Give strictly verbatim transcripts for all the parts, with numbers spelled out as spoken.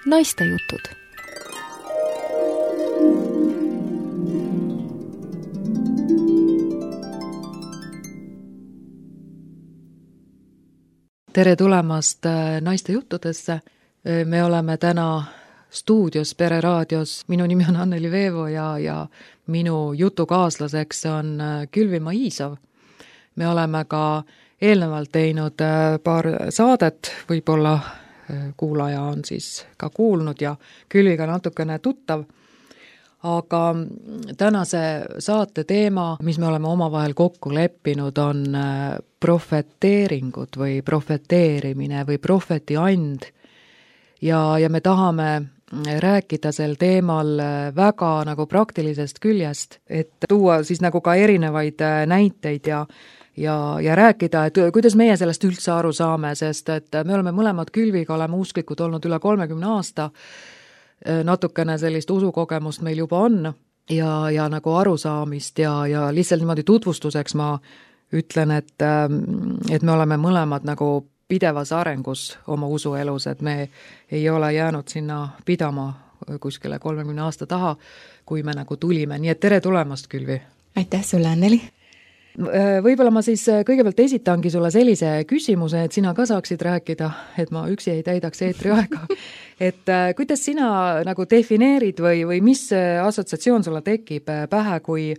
naistejutud. Tere tulemast naistejuttudesse. Me oleme täna stuudios Pere raadios. Minu nimi on Anneli Veevo ja, ja minu jutukaaslaseks on Külvi Maisov. Me oleme ka eelnevalt teinud paar saadet, võib-olla kuulaja on siis ka kuulnud ja Külviga natukene tuttav. Aga tänase saate teema, mis me oleme omavahel kokku leppinud, on profeteeringud või profeteerimine või profetiand. Ja, ja me tahame rääkida sel teemal väga nagu praktilisest küljest, et tuua siis nagu ka erinevaid näiteid ja Ja, ja rääkida, et kuidas meie sellest üldse aru saame, sest et me oleme mõlemad Külviga, oleme usklikud olnud üle kolmekümne aasta, natukene sellist usukogemust meil juba on ja, ja nagu arusaamist ja, ja lihtsalt niimoodi tutvustuseks ma ütlen, et, et me oleme mõlemad nagu pidevas arengus oma usuelus, et me ei ole jäänud sinna pidama kuskile kolmekümne aasta taha, kui me nagu tulime. Nii et tere tulemast, Külvi! Aitäh sulle, Anneli! Võib-olla ma siis kõigepealt esitangi sulle sellise küsimuse, et sina ka saaksid rääkida, et ma üksi ei täidaks eetri aega. Et kuidas sina nagu defineerid või, või mis assotsiatsioon sulle tekib pähe, kui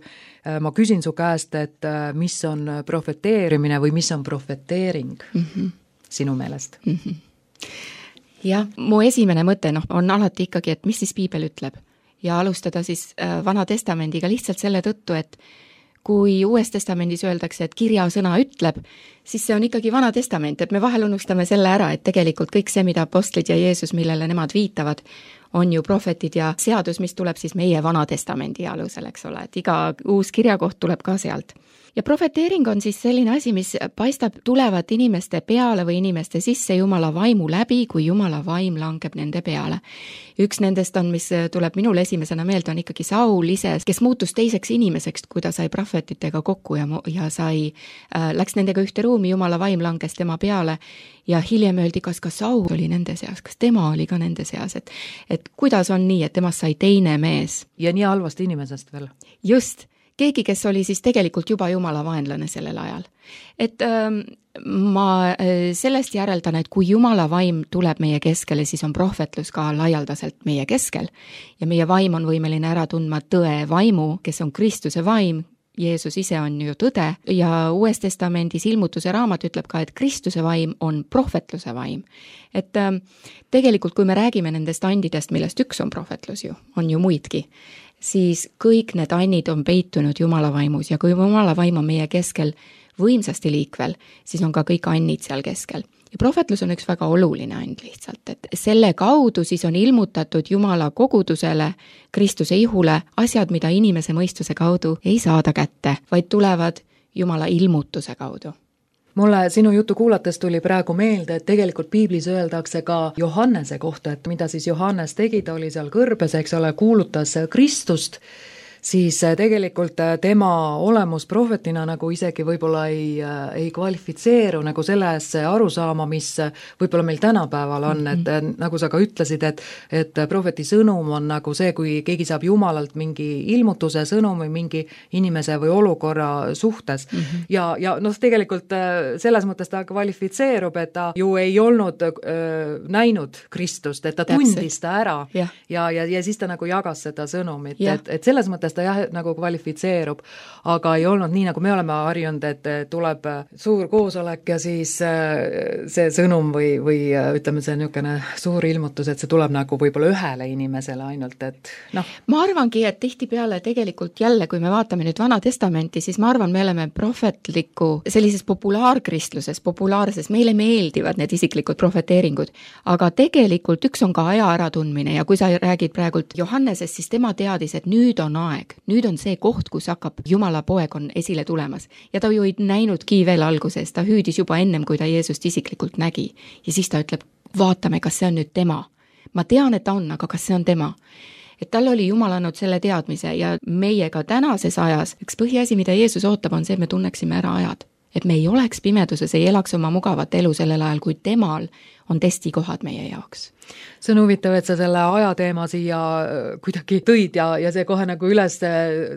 ma küsin su käest, et mis on profeteerimine või mis on profeteering mm -hmm. sinu meelest? Mm -hmm. Jah, mu esimene mõte no, on alati ikkagi, et mis siis piibel ütleb ja alustada siis Vana Testamendiga lihtsalt selle tõttu, et kui Uues Testamendis öeldakse, et kirjasõna ütleb, siis see on ikkagi Vana Testament, et me vahel unustame selle ära, et tegelikult kõik see, mida apostlid ja Jeesus, millele nemad viitavad, on ju prohvetid ja seadus, mis tuleb siis meie Vana Testamendi alusel, eks ole, et iga uus kirjakoht tuleb ka sealt. Ja profeteering on siis selline asi, mis paistab tulevat inimeste peale või inimeste sisse Jumala vaimu läbi, kui Jumala vaim langeb nende peale. Üks nendest on, mis tuleb minul esimesena meelde, on ikkagi Saul ise, kes muutus teiseks inimeseks, kui ta sai prohvetitega kokku ja, ja sai, äh, läks nendega ühte ruumi, Jumala vaim langes tema peale ja hiljem öeldi, kas ka Saul oli nende seas, kas tema oli ka nende seas, et, et kuidas on nii, et temast sai teine mees. Ja nii halvast inimesest veel. Just. Keegi, kes oli siis tegelikult juba Jumala vaenlane sellel ajal. Et ähm, ma sellest järeldan, et kui Jumala vaim tuleb meie keskele, siis on prohvetlus ka laialdaselt meie keskel. Ja meie vaim on võimeline ära tundma tõe vaimu, kes on Kristuse vaim. Jeesus ise on ju tõde ja Uues Testamendis ilmutuse raamat ütleb ka, et Kristuse vaim on prohvetluse vaim. Et ähm, tegelikult, kui me räägime nendest andidest, millest üks on prohvetlus ju, on ju muidki, siis kõik need annid on peitunud Jumala vaimus ja kui Jumala vaim on meie keskel võimsasti liikvel, siis on ka kõik annid seal keskel. Ja prohvetlus on üks väga oluline and lihtsalt, et selle kaudu siis on ilmutatud Jumala kogudusele, Kristuse ihule asjad, mida inimese mõistuse kaudu ei saada kätte, vaid tulevad Jumala ilmutuse kaudu. Mulle sinu jutu kuulates tuli praegu meelde, et tegelikult piiblis öeldakse ka Johannese kohta, et mida siis Johannes tegi, ta oli seal kõrbes, eks ole, kuulutas Kristust, siis tegelikult tema olemus prohvetina nagu isegi võib-olla ei, ei kvalifitseeru nagu sellesse arusaama, mis võib-olla meil tänapäeval on, et nagu sa ka ütlesid, et, et prohveti sõnum on nagu see, kui keegi saab Jumalalt mingi ilmutuse sõnumi mingi inimese või olukorra suhtes. Mm-hmm. Ja, ja noh, tegelikult selles mõttes ta kvalifitseerub, et ta ju ei olnud öö, näinud Kristust, et ta tundis ta ära ja, ja, ja, ja siis ta nagu jagas seda sõnumit, et, et selles mõttes ta jah, nagu kvalifitseerub, aga ei olnud nii, nagu me oleme harjunud, et tuleb suur koosolek ja siis see sõnum või, või ütleme, see niisugune suur ilmutus, et see tuleb nagu võib-olla ühele inimesele ainult, et noh. Ma arvangi, et tihtipeale tegelikult jälle, kui me vaatame nüüd Vana Testamenti, siis ma arvan, me oleme prohvetliku sellises populaarkristluses, populaarses, meile meeldivad need isiklikud profeteeringud, aga tegelikult üks on ka aja äratundmine ja kui sa räägid praegult Johannesest, siis tema teadis, et nüüd on aeg, nüüd on see koht, kus hakkab Jumala poeg on esile tulemas. Ja ta ju ei näinudki veel alguses, ta hüüdis juba ennem, kui ta Jeesust isiklikult nägi. Ja siis ta ütleb, vaatame, kas see on nüüd tema. Ma tean, et ta on, aga kas see on tema? Et tal oli Jumal andnud selle teadmise ja meiega tänases ajas, üks põhiasi, mida Jeesus ootab, on see, et me tunneksime ära ajad. Et me ei oleks pimeduses, ei elaks oma mugavat elu sellel ajal, kui temal on testikohad meie jaoks. See on huvitav, et sa selle ajateema siia kuidagi tõid ja, ja see kohe nagu üles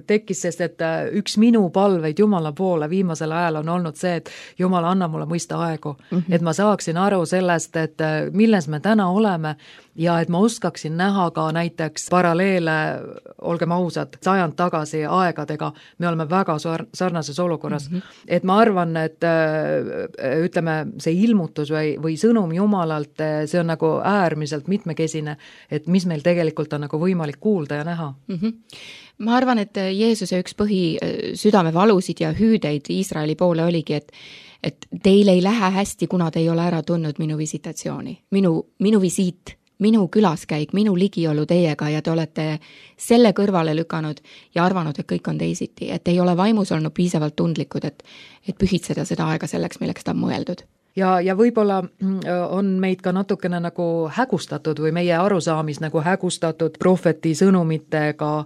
tekkis, sest et üks minu palveid Jumala poole viimasel ajal on olnud see, et Jumal, anna mulle mõista aegu, mm -hmm. et ma saaksin aru sellest, et milles me täna oleme ja et ma oskaksin näha ka näiteks paralleele, olgem ausad, sajand tagasi aegadega, me oleme väga sarnases olukorras. Mm -hmm. Et ma arvan, et ütleme, see ilmutus või, või sõnum Jumalalt, see on nagu äärmiselt mitmekesine, et mis meil tegelikult on nagu võimalik kuulda ja näha. Mm -hmm. Ma arvan, et Jeesuse üks põhi südamevalusid ja hüüdeid Iisraeli poole oligi, et et teil ei lähe hästi, kuna te ei ole ära tundnud minu visitatsiooni, minu, minu visiit, minu külaskäik, minu ligiolu teiega ja te olete selle kõrvale lükanud ja arvanud, et kõik on teisiti, et ei ole vaimus olnud piisavalt tundlikud, et, et pühitseda seda aega selleks, milleks ta on mõeldud. Ja, ja võib-olla on meid ka natukene nagu hägustatud või meie arusaamis nagu hägustatud prohveti sõnumitega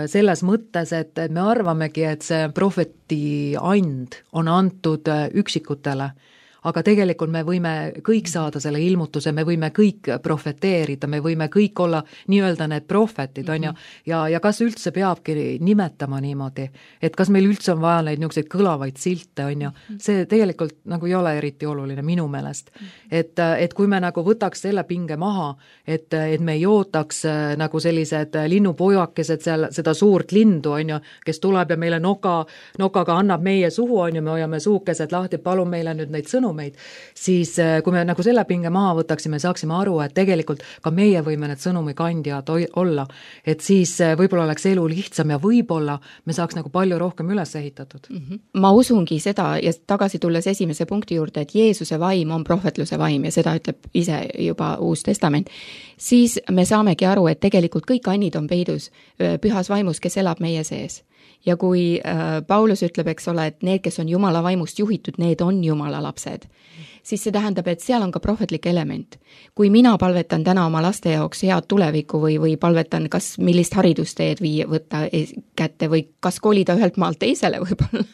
selles mõttes, et me arvamegi, et see prohveti and on antud üksikutele, aga tegelikult me võime kõik saada selle ilmutuse, me võime kõik profeteerida, me võime kõik olla nii-öelda need prohvetid, on ju, ja, ja kas üldse peabki nimetama niimoodi, et kas meil üldse on vaja neid niisuguseid kõlavaid silte, on ju, see tegelikult nagu ei ole eriti oluline minu meelest. Et, et kui me nagu võtaks selle pinge maha, et, et me ei ootaks nagu sellised linnupojakesed seal, seda suurt lindu, on ju, kes tuleb ja meile noka, nokaga annab meie suhu, on ju, me hoiame suukesed lahti, palun meile nüüd neid sõnu meid, siis kui me nagu selle pinge maha võtaksime, saaksime aru, et tegelikult ka meie võime need sõnumikandjad olla, et siis võib-olla oleks elu lihtsam ja võib-olla me saaks nagu palju rohkem üles ehitatud. Mm -hmm. Ma usungi seda ja tagasi tulles esimese punkti juurde, et Jeesuse vaim on prohvetluse vaim ja seda ütleb ise juba Uus Testament, siis me saamegi aru, et tegelikult kõik annid on peidus pühas vaimus, kes elab meie sees. Ja kui äh, Paulus ütleb, eks ole, et need, kes on Jumala vaimust juhitud, need on Jumala lapsed, siis see tähendab, et seal on ka prohvetlik element. Kui mina palvetan täna oma laste jaoks head tulevikku või, või palvetan, kas millist haridusteed vii, võtta kätte või kas kolida ühelt maalt teisele võib-olla,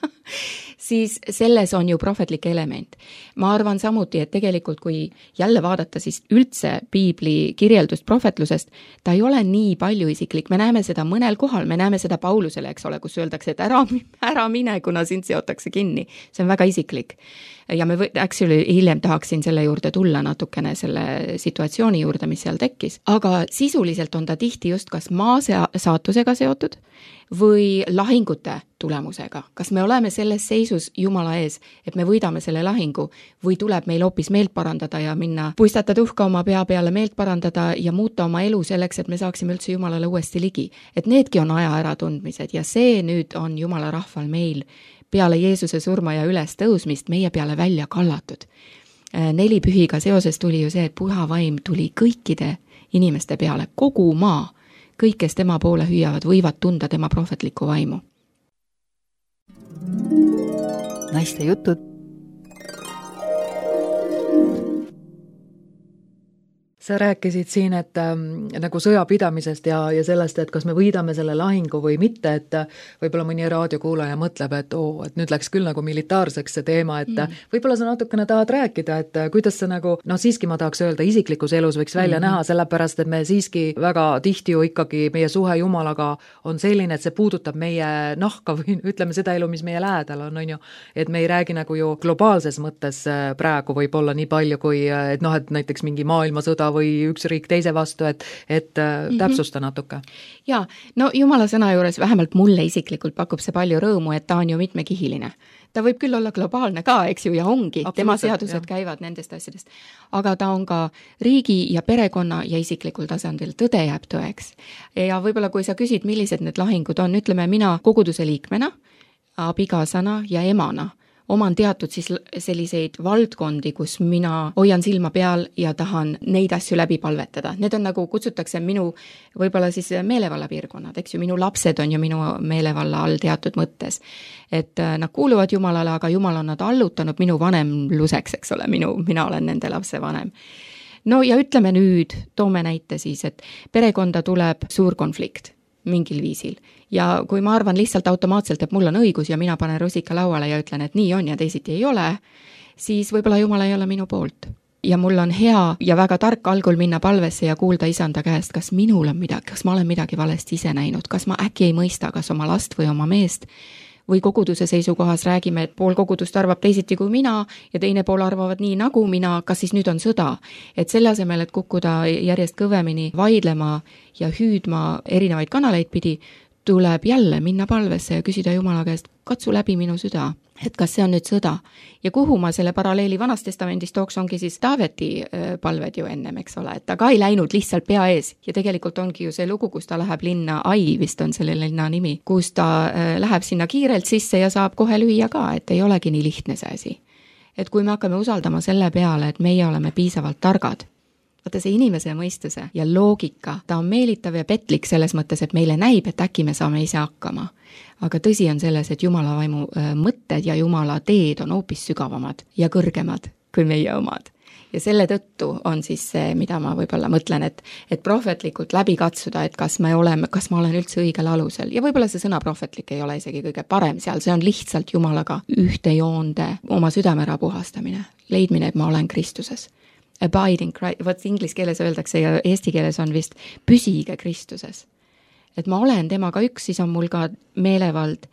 siis selles on ju prohvetlik element. Ma arvan samuti, et tegelikult kui jälle vaadata siis üldse piibli kirjeldust prohvetlusest, ta ei ole nii palju isiklik, me näeme seda mõnel kohal, me näeme seda Paulusele, eks ole, kus öeldakse, et ära, ära mine, kuna sind seotakse kinni. See on väga isiklik. Ja me või, actually hiljem tahaksin selle juurde tulla natukene selle situatsiooni juurde, mis seal tekkis. Aga sisuliselt on ta tihti just kas maa saatusega seotud või lahingute tulemusega. Kas me oleme selles seisus Jumala ees, et me võidame selle lahingu või tuleb meil hoopis meelt parandada ja minna puistata tuhka oma pea peale, meelt parandada ja muuta oma elu selleks, et me saaksime üldse Jumalale uuesti ligi. Et needki on aja äratundmised ja see nüüd on Jumala rahval meil peale Jeesuse surma ja üles tõusmist meie peale välja kallatud. Neli pühiga seoses tuli ju see, et püha vaim tuli kõikide inimeste peale, kogu maa. Kõik, kes tema poole hüüavad, võivad tunda tema prohvetlikku vaimu. Naiste jutud. Sa rääkisid siin, et äh, nagu sõjapidamisest ja, ja sellest, et kas me võidame selle lahingu või mitte, et võib-olla mõni raadiokuulaja mõtleb, et oo, et nüüd läks küll nagu militaarseks see teema, et mm. võib-olla sa natukene tahad rääkida, et kuidas sa nagu, no siiski ma tahaks öelda, isiklikus elus võiks välja mm. näha, sellepärast, et me siiski väga tihti ju ikkagi meie suhe Jumalaga on selline, et see puudutab meie nahka või ütleme seda elu, mis meie lähedal on, on ju, et me ei räägi nagu ju globaalses mõttes praegu võib-olla nii palju, kui et noh, et näiteks mingi maailmasõda või üks riik teise vastu, et, et mm-hmm. täpsusta natuke. Jaa, no Jumala sõna juures vähemalt mulle isiklikult pakub see palju rõõmu, et ta on ju mitmekihiline. Ta võib küll olla globaalne ka, eks ju, ja ongi, tema seadused jah. Käivad nendest asjadest, aga ta on ka riigi ja perekonna ja isiklikul tasandil, tõde jääb tõeks. Ja võib-olla kui sa küsid, millised need lahingud on, ütleme mina koguduse liikmena, abikaasana ja emana, oman teatud siis selliseid valdkondi, kus mina hoian silma peal ja tahan neid asju läbi palvetada. Need on nagu, kutsutakse minu võib-olla siis meelevalla piirkonnad, eks ju, minu lapsed on ju minu meelevalla all teatud mõttes. Et nad kuuluvad Jumalale, aga Jumal on nad allutanud minu vanemluseks, eks ole, minu, mina olen nende lapse vanem. No ja ütleme nüüd, toome näite siis, et perekonda tuleb suur konflikt mingil viisil. Ja kui ma arvan lihtsalt automaatselt, et mul on õigus ja mina panen rusika lauale ja ütlen, et nii on ja teisiti ei ole, siis võib-olla Jumal ei ole minu poolt. ja mul on hea ja väga tark algul minna palvesse ja kuulda isanda käest, kas minul on midagi, kas ma olen midagi valesti ise näinud, kas ma äkki ei mõista, kas oma last või oma meest, või koguduse seisukohas räägime, et pool kogudust arvab teisiti kui mina ja teine pool arvavad nii nagu mina, kas siis nüüd on sõda. Et selle asemel, et kukkuda järjest kõvemini vaidlema ja hüüdma erinevaid kanaleid pidi, tuleb jälle minna palvesse ja küsida Jumala käest, katsu läbi minu süda, et kas see on nüüd sõda. Ja kuhu ma selle paralleeli Vanast Testamendist tooks, ongi siis Taaveti palved ju ennem, eks ole, et ta ka ei läinud lihtsalt pea ees ja tegelikult ongi ju see lugu, kus ta läheb linna, Ai vist on selle linna nimi, kus ta läheb sinna kiirelt sisse ja saab kohe lüüa ka, et ei olegi nii lihtne see asi. Et kui me hakkame usaldama selle peale, et meie oleme piisavalt targad, vaata see inimese mõistuse ja loogika, ta on meelitav ja petlik selles mõttes, et meile näib, et äkki me saame ise hakkama. Aga tõsi on selles, et Jumala vaimu mõtted ja Jumala teed on hoopis sügavamad ja kõrgemad kui meie omad. Ja selle tõttu on siis see, mida ma võib-olla mõtlen, et, et prohvetlikult läbi katsuda, et kas me oleme, kas ma olen üldse õigel alusel. Ja võib-olla see sõna prohvetlik ei ole isegi kõige parem seal, see on lihtsalt Jumalaga ühte joonde oma südamera puhastamine, leidmine, et ma olen Kristuses. Abiding Christ, vot inglis keeles öeldakse ja eesti keeles on vist püsige Kristuses. Et ma olen temaga üks, siis on mul ka meelevald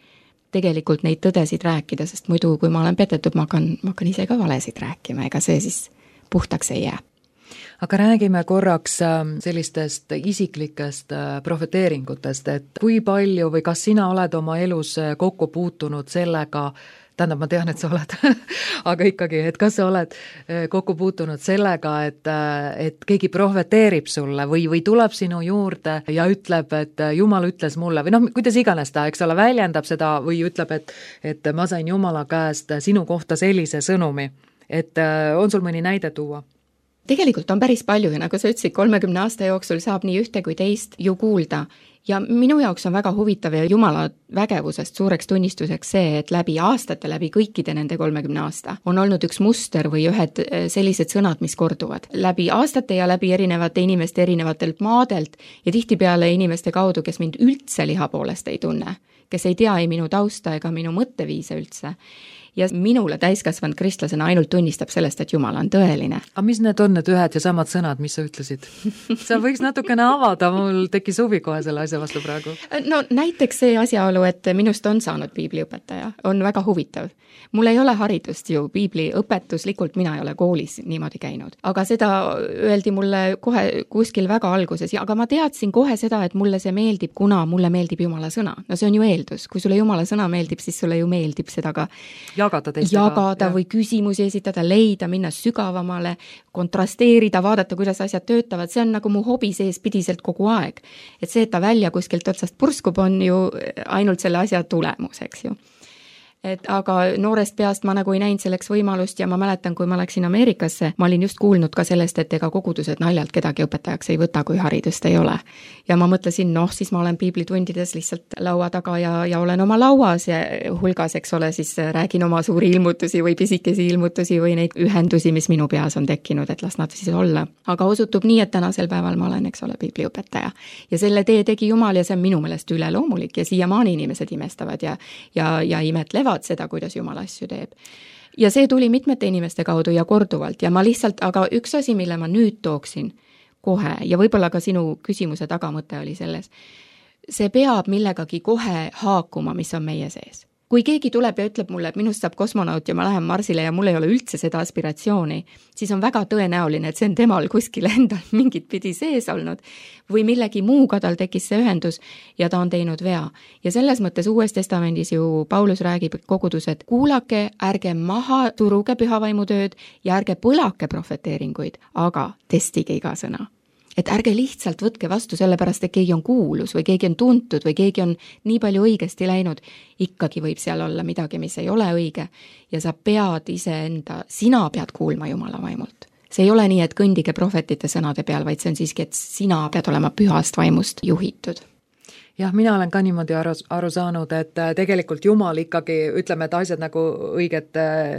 tegelikult neid tõdesid rääkida, sest muidu kui ma olen petetud, ma hakkan, ma hakkan ise ka valesid rääkima, ega see siis puhtaks ei jää. Aga räägime korraks sellistest isiklikest profeteeringutest, et kui palju või kas sina oled oma elus kokku puutunud sellega, tähendab, ma tean, et sa oled, aga ikkagi, et kas sa oled kokku puutunud sellega, et, et keegi profeteerib sulle või, või tuleb sinu juurde ja ütleb, et Jumal ütles mulle, või noh, kuidas iganes ta, eks ole, väljendab seda või ütleb, et, et ma sain Jumala käest sinu kohta sellise sõnumi, et on sul mõni näide tuua? Tegelikult on päris palju ja nagu sa ütlesid, kolmekümne aasta jooksul saab nii ühte kui teist ju kuulda. Ja minu jaoks on väga huvitav ja Jumala vägevusest suureks tunnistuseks see, et läbi aastate, läbi kõikide nende kolmekümne aasta on olnud üks muster või ühed sellised sõnad, mis korduvad. Läbi aastate ja läbi erinevate inimeste erinevatelt maadelt ja tihtipeale inimeste kaudu, kes mind üldse liha poolest ei tunne, kes ei tea ei minu tausta ega minu mõtteviise üldse. Ja minule täiskasvanud kristlasena ainult tunnistab sellest, et Jumal on tõeline. Aga mis need on need ühed ja samad sõnad, mis sa ütlesid? Sa võiks natukene avada, mul tekkis huvi kohe selle asja vastu praegu. No näiteks see asjaolu, et minust on saanud piibliõpetaja, on väga huvitav. Mul ei ole haridust ju piibliõpetuslikult, mina ei ole koolis niimoodi käinud. Aga seda öeldi mulle kohe kuskil väga alguses, aga ma teadsin kohe seda, et mulle see meeldib, kuna mulle meeldib Jumala sõna. No see on ju eeldus, kui sulle Jumala sõna meeldib, siis sulle ju meeldib seda ka jagada teistega. Jagada või küsimusi esitada, leida, minna sügavamale, kontrasteerida, vaadata, kuidas asjad töötavad. See on nagu mu hobi sees pidiselt kogu aeg. Et see, et ta välja kuskilt otsast purskub, on ju ainult selle asja tulemus, eks ju. Et aga noorest peast ma nagu ei näinud selleks võimalust ja ma mäletan, kui ma läksin Ameerikasse, ma olin just kuulnud ka sellest, et ega kogudused naljalt kedagi õpetajaks ei võta, kui haridust ei ole. Ja ma mõtlesin, noh, siis ma olen piiblitundides lihtsalt laua taga ja, ja olen oma lauas ja hulgas, eks ole, siis räägin oma suuri ilmutusi või pisikesi ilmutusi või neid ühendusi, mis minu peas on tekkinud, et las nad siis olla. Aga osutub nii, et tänasel päeval ma olen, eks ole, piibliõpetaja. Ja selle tee tegi Jumal ja see on minu meelest üleloomulik ja siiamaani inimesed imestavad ja, ja, ja imetlevad seda, kuidas Jumal asju teeb. Ja see tuli mitmete inimeste kaudu ja korduvalt ja ma lihtsalt, aga üks asi, mille ma nüüd tooksin kohe ja võib-olla ka sinu küsimuse tagamõte oli selles, see peab millegagi kohe haakuma, mis on meie sees. Kui keegi tuleb ja ütleb mulle, et minust saab kosmonaut ja ma lähen Marsile ja mul ei ole üldse seda aspiratsiooni, siis on väga tõenäoline, et see on temal kuskil endal mingit pidi sees olnud või millegi muuga tal tekkis see ühendus ja ta on teinud vea. Ja selles mõttes Uues Testamendis ju Paulus räägib kogudused, kuulake, ärge maha turuge pühavaimutööd ja ärge põlake profeteeringuid, aga testige iga sõna. Et ärge lihtsalt võtke vastu sellepärast, et keegi on kuulus või keegi on tuntud või keegi on nii palju õigesti läinud. Ikkagi võib seal olla midagi, mis ei ole õige ja sa pead iseenda, sina pead kuulma Jumala vaimult. See ei ole nii, et kõndige prohvetite sõnade peal, vaid see on siiski, et sina pead olema pühast vaimust juhitud. Jah, mina olen ka niimoodi aru, aru saanud, et tegelikult Jumal ikkagi, ütleme, et asjad nagu õiget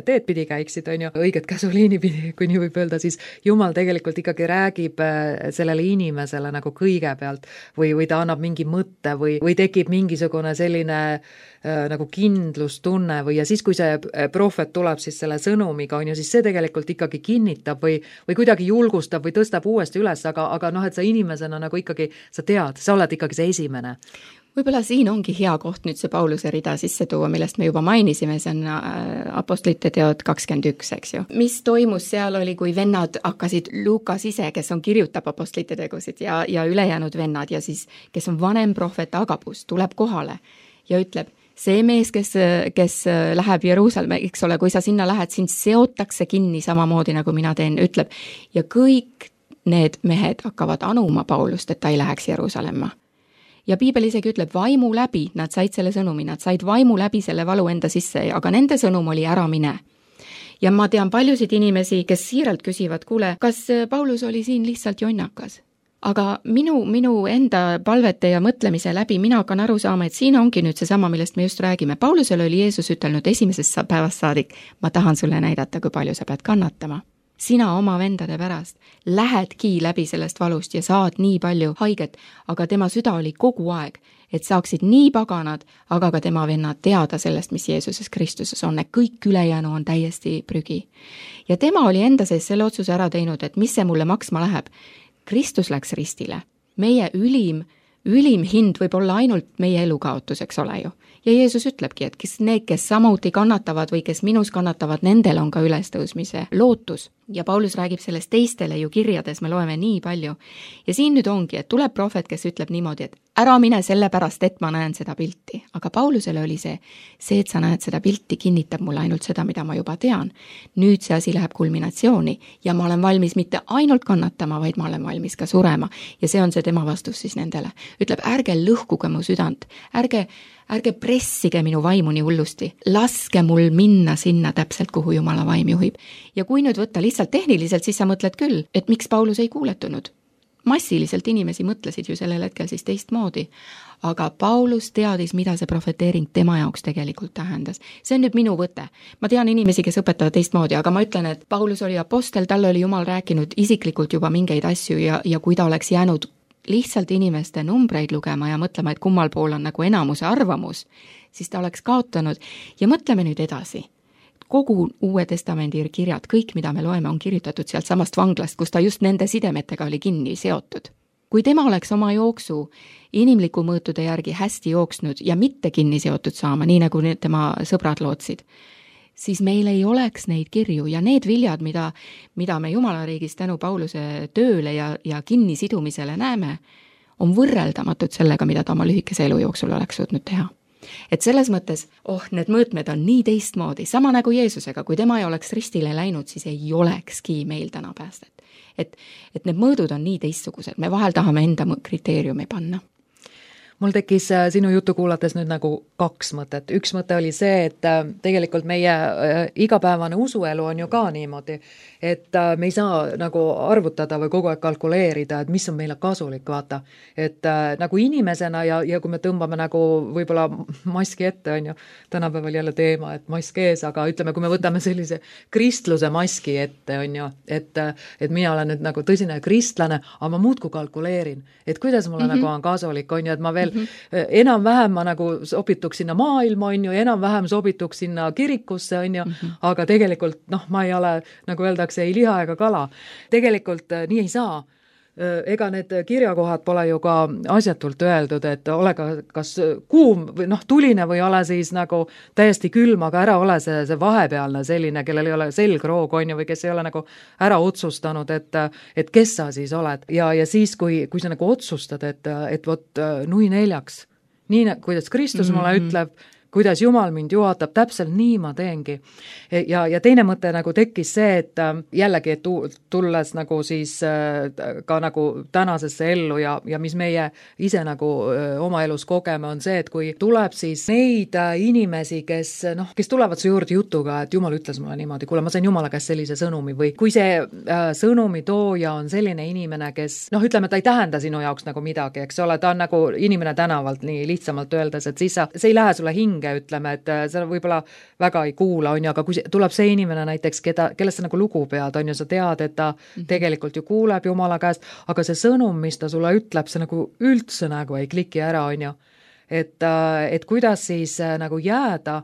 teed pidi käiksid, on ju, õiget käsuliini pidi, kui nii võib öelda, siis Jumal tegelikult ikkagi räägib sellele inimesele nagu kõigepealt või, või ta annab mingi mõtte või, või tekib mingisugune selline äh, nagu kindlustunne või ja siis, kui see prohvet tuleb siis selle sõnumiga, on ju, siis see tegelikult ikkagi kinnitab või, või kuidagi julgustab või tõstab uuesti üles, aga, aga noh, et sa inimesena nagu ikkagi, sa tead, sa oled ikkagi see esimene. Võib-olla siin ongi hea koht nüüd see Pauluse rida sisse tuua, millest me juba mainisime, see on Apostlite teod kakskümmend üks, eks ju. Mis toimus seal oli, kui vennad hakkasid, Lukas ise, kes on kirjutab Apostlite tegusid ja, ja ülejäänud vennad ja siis, kes on vanem prohvet Agabus, tuleb kohale ja ütleb, see mees, kes, kes läheb Jeruusalemme, eks ole, kui sa sinna lähed, sind seotakse kinni samamoodi, nagu mina teen, ütleb, ja kõik need mehed hakkavad anuma Paulust, et ta ei läheks Jeruusalemma. Ja piibel isegi ütleb, vaimu läbi, nad said selle sõnumi, nad said vaimu läbi selle valu enda sisse, aga nende sõnum oli ära mine. Ja ma tean paljusid inimesi, kes siiralt küsivad, kuule, kas Paulus oli siin lihtsalt jonnakas? Aga minu, minu enda palvete ja mõtlemise läbi mina hakkan aru saama, et siin ongi nüüd seesama, millest me just räägime. Paulusele oli Jeesus ütelnud esimesest päevast saadik, ma tahan sulle näidata, kui palju sa pead kannatama. Sina oma vendade pärast lähedki läbi sellest valust ja saad nii palju haiget, aga tema süda oli kogu aeg, et saaksid nii paganad, aga ka tema vennad teada sellest, mis Jeesuses Kristuses on, et kõik ülejäänu on täiesti prügi. Ja tema oli enda sees selle otsuse ära teinud, et mis see mulle maksma läheb. Kristus läks ristile. Meie ülim, ülim hind võib olla ainult meie elukaotus, eks ole ju. Ja Jeesus ütlebki, et kes need, kes samuti kannatavad või kes minus kannatavad, nendel on ka ülestõusmise lootus. Ja Paulus räägib sellest teistele ju kirjades, me loeme nii palju. Ja siin nüüd ongi, et tuleb prohvet, kes ütleb niimoodi, et ära mine sellepärast, et ma näen seda pilti. Aga Paulusele oli see, see, et sa näed seda pilti, kinnitab mulle ainult seda, mida ma juba tean. Nüüd see asi läheb kulminatsiooni ja ma olen valmis mitte ainult kannatama, vaid ma olen valmis ka surema. Ja see on see tema vastus siis nendele. Ütleb, ärge lõhkuge mu südant, ärge ärge pressige minu vaimu nii hullusti, laske mul minna sinna täpselt, kuhu Jumala vaim juhib. Ja kui nüüd võtta lihtsalt tehniliselt, siis sa mõtled küll, et miks Paulus ei kuuletunud. Massiliselt inimesi mõtlesid ju sellel hetkel siis teistmoodi, aga Paulus teadis, mida see profeteering tema jaoks tegelikult tähendas. See on nüüd minu võte. Ma tean inimesi, kes õpetavad teistmoodi, aga ma ütlen, et Paulus oli apostel, talle oli Jumal rääkinud isiklikult juba mingeid asju ja, ja kui ta oleks jäänud lihtsalt inimeste numbreid lugema ja mõtlema, et kummal pool on nagu enamuse arvamus, siis ta oleks kaotanud. Ja mõtleme nüüd edasi. Kogu Uue Testamendi kirjad, kõik, mida me loeme, on kirjutatud sealt samast vanglast, kus ta just nende sidemetega oli kinni seotud. Kui tema oleks oma jooksu inimliku mõõtude järgi hästi jooksnud ja mitte kinni seotud saama, nii nagu tema sõbrad lootsid, siis meil ei oleks neid kirju ja need viljad, mida, mida me Jumala riigis tänu Pauluse tööle ja, ja kinnisidumisele näeme, on võrreldamatud sellega, mida ta oma lühikese elu jooksul oleks suutnud teha. Et selles mõttes, oh, need mõõtmed on nii teistmoodi, sama nagu Jeesusega, kui tema ei oleks ristile läinud, siis ei olekski meil täna päästet. Et, et need mõõdud on nii teistsugused, me vahel tahame enda kriteeriumi panna. Mul tekkis sinu juttu kuulates nüüd nagu kaks mõtet. Üks mõte oli see, et tegelikult meie igapäevane usuelu on ju ka niimoodi, et me ei saa nagu arvutada või kogu aeg kalkuleerida, et mis on meile kasulik, vaata. Et nagu inimesena ja, ja kui me tõmbame nagu võib-olla maski ette, on ju, tänapäeval jälle teema, et mask ees, aga ütleme, kui me võtame sellise kristluse maski ette, on ju, et, et mina olen nüüd nagu tõsine kristlane, aga ma muudku kalkuleerin, et kuidas mulle mm-hmm. nagu on kasulik, on ju, et ma veel Mm-hmm. enam-vähem ma nagu sobituks sinna maailma, on ju, enam-vähem sobituks sinna kirikusse, on ju, mm-hmm. aga tegelikult, noh, ma ei ole, nagu öeldakse, ei liha ega kala. Tegelikult nii ei saa. Ega need kirjakohad pole ju ka asjatult öeldud, et ole ka kas kuum või noh, tuline või ole siis nagu täiesti külm, aga ära ole see, see vahepealne selline, kellel ei ole selgroog, on ju, või kes ei ole nagu ära otsustanud, et, et kes sa siis oled. Ja, ja siis, kui, kui sa nagu otsustad, et, et vot nui neljaks, nii kuidas Kristus mulle mm-hmm. ütleb, kuidas Jumal mind juhatab, täpselt nii ma teengi. Ja, ja teine mõte nagu tekkis see, et jällegi, et tulles nagu siis ka nagu tänasesse ellu ja, ja mis meie ise nagu oma elus kogeme, on see, et kui tuleb siis neid inimesi, kes, noh, kes tulevad su juurde jutuga, et Jumal ütles mulle niimoodi, kuule, ma sain Jumala käest sellise sõnumi või kui see sõnumi tooja on selline inimene, kes, noh, ütleme, ta ei tähenda sinu jaoks nagu midagi, eks ole, ta on nagu inimene tänavalt nii lihtsamalt öeldes, et siis sa, see ei lähe sulle hinge, ütleme, et sa võib-olla väga ei kuula, on ju, aga kui tuleb see inimene näiteks, keda, kellest sa nagu lugu pead, on ju, sa tead, et ta mm-hmm. tegelikult ju kuuleb Jumala käest, aga see sõnum, mis ta sulle ütleb, see nagu üldse nagu ei kliki ära, on ju. et, et kuidas siis nagu jääda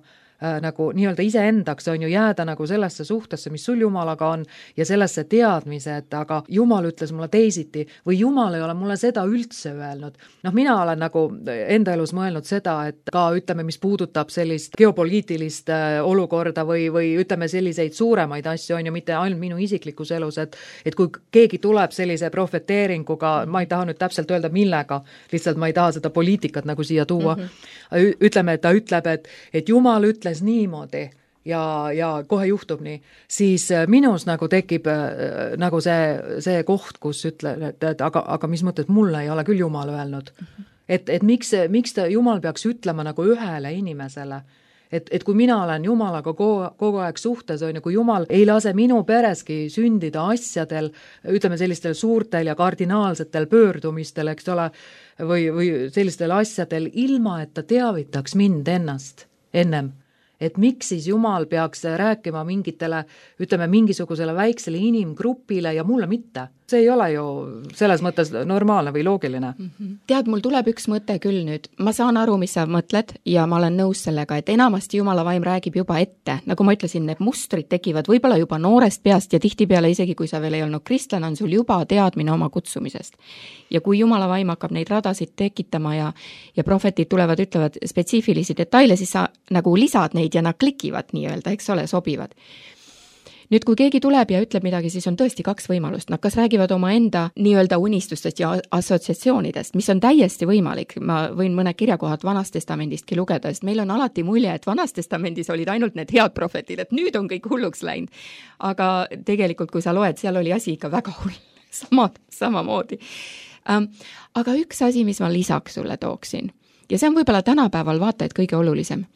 nagu nii-öelda iseendaks on ju jääda nagu sellesse suhtesse, mis sul Jumalaga on ja sellesse teadmise, et aga Jumal ütles mulle teisiti või Jumal ei ole mulle seda üldse öelnud. Noh, mina olen nagu enda elus mõelnud seda, et ka ütleme, mis puudutab sellist geopoliitilist olukorda või, või ütleme selliseid suuremaid asju on ju mitte ainult minu isiklikus elus, et, et kui keegi tuleb sellise profeteeringuga, ma ei taha nüüd täpselt öelda millega, lihtsalt ma ei taha seda poliitikat nagu siia tuua, mm-hmm. ütleme, et ta ütleb, et, et Jumal ütles niimoodi ja, ja kohe juhtub nii, siis minus nagu tekib äh, nagu see, see koht, kus ütleb, et, et aga, aga mis mõttes mulle ei ole küll Jumal öelnud. Mm-hmm. Et, et miks, miks ta, Jumal peaks ütlema nagu ühele inimesele, et, et kui mina olen Jumalaga kogu, kogu aeg suhtes, on ju, kui Jumal ei lase minu pereski sündida asjadel, ütleme sellistel suurtel ja kardinaalsetel pöördumistel, eks ole, või, või sellistel asjadel, ilma et ta teavitaks mind ennast ennem. Et miks siis Jumal peaks rääkima mingitele, ütleme mingisugusele väiksele inimgrupile ja mulle mitte. See ei ole ju selles mõttes normaalne või loogiline. Mm-hmm. Tead, mul tuleb üks mõte küll nüüd. Ma saan aru, mis sa mõtled ja ma olen nõus sellega, et enamasti Jumala vaim räägib juba ette. Nagu ma ütlesin, need mustrid tekivad võib-olla juba noorest peast ja tihtipeale isegi, kui sa veel ei olnud kristlane, on sul juba teadmine oma kutsumisest. Ja kui Jumala vaim hakkab neid radasid tekitama ja, ja profetid tulevad, ütlevad spetsiifilisi detaile, siis sa nagu lisad neid ja nad klikivad nii-öelda, eks ole, sobivad. Nüüd, kui keegi tuleb ja ütleb midagi, siis on tõesti kaks võimalust. Nad kas räägivad oma enda nii-öelda unistustest ja assotsiatsioonidest, mis on täiesti võimalik. Ma võin mõned kirjakohad Vanast testamendistki lugeda, sest meil on alati mulje, et Vanas testamendis olid ainult need head profetid, et nüüd on kõik hulluks läinud. Aga tegelikult, kui sa loed, seal oli asi ikka väga hull, sama, samamoodi. Ähm, aga üks asi, mis ma lisaks sulle tooksin, ja see on võib-olla tänapäeval vaata, et kõige olulisem.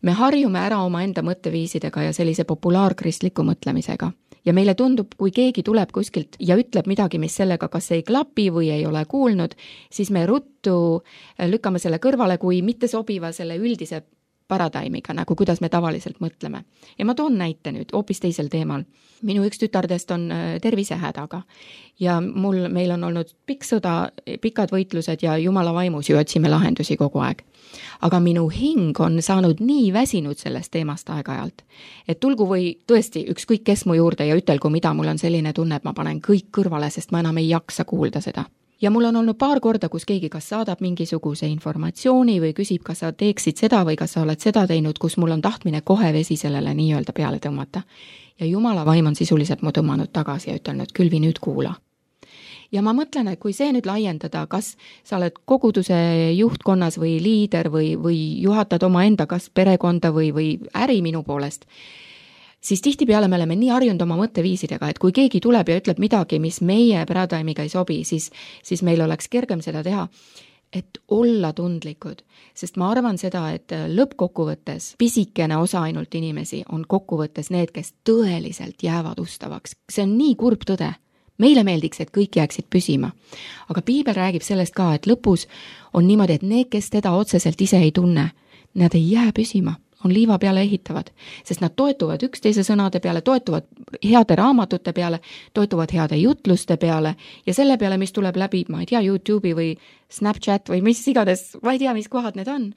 Me harjume ära oma enda mõtteviisidega ja sellise populaarkristliku mõtlemisega. Ja meile tundub, kui keegi tuleb kuskilt ja ütleb midagi, mis sellega kas ei klapi või ei ole kuulnud, siis me ruttu lükkame selle kõrvale, kui mitte sobiva selle üldise paradaimiga, nagu kuidas me tavaliselt mõtleme. Ja ma toon näite nüüd hoopis teisel teemal. Minu üks tütardest on tervisehädaga ja mul, meil on olnud pikk sõda, pikad võitlused ja Jumala vaimus ju otsime lahendusi kogu aeg. Aga minu hing on saanud nii väsinud sellest teemast aeg-ajalt, et tulgu või tõesti ükskõik kes mu juurde ja ütelgu, mida mul on selline tunne, et ma panen kõik kõrvale, sest ma enam ei jaksa kuulda seda. Ja mul on olnud paar korda, kus keegi kas saadab mingisuguse informatsiooni või küsib, kas sa teeksid seda või kas sa oled seda teinud, kus mul on tahtmine kohe vesi sellele nii-öelda peale tõmmata. Ja Jumala vaim on sisuliselt mu tõmmanud tagasi ja ütelnud, külvi nüüd kuula. Ja ma mõtlen, et kui see nüüd laiendada, kas sa oled koguduse juhtkonnas või liider või, või juhatad oma enda kas perekonda või, või äri minu poolest, siis tihtipeale me oleme nii harjunud oma mõtteviisidega, et kui keegi tuleb ja ütleb midagi, mis meie paradigmiga ei sobi, siis, siis meil oleks kergem seda teha, et olla tundlikud. Sest ma arvan seda, et lõppkokkuvõttes pisikene osa ainult inimesi on kokkuvõttes need, kes tõeliselt jäävad ustavaks. See on nii kurb tõde. Meile meeldiks, et kõik jääksid püsima. Aga piibel räägib sellest ka, et lõpus on niimoodi, et need, kes teda otseselt ise ei tunne, nad ei jää püsima. On liiva peale ehitavad, sest nad toetuvad üksteise sõnade peale, toetuvad heade raamatute peale, toetuvad heade jutluste peale ja selle peale, mis tuleb läbi, ma ei tea, YouTube'i või Snapchat või mis igades, ma ei tea, mis kohad need on.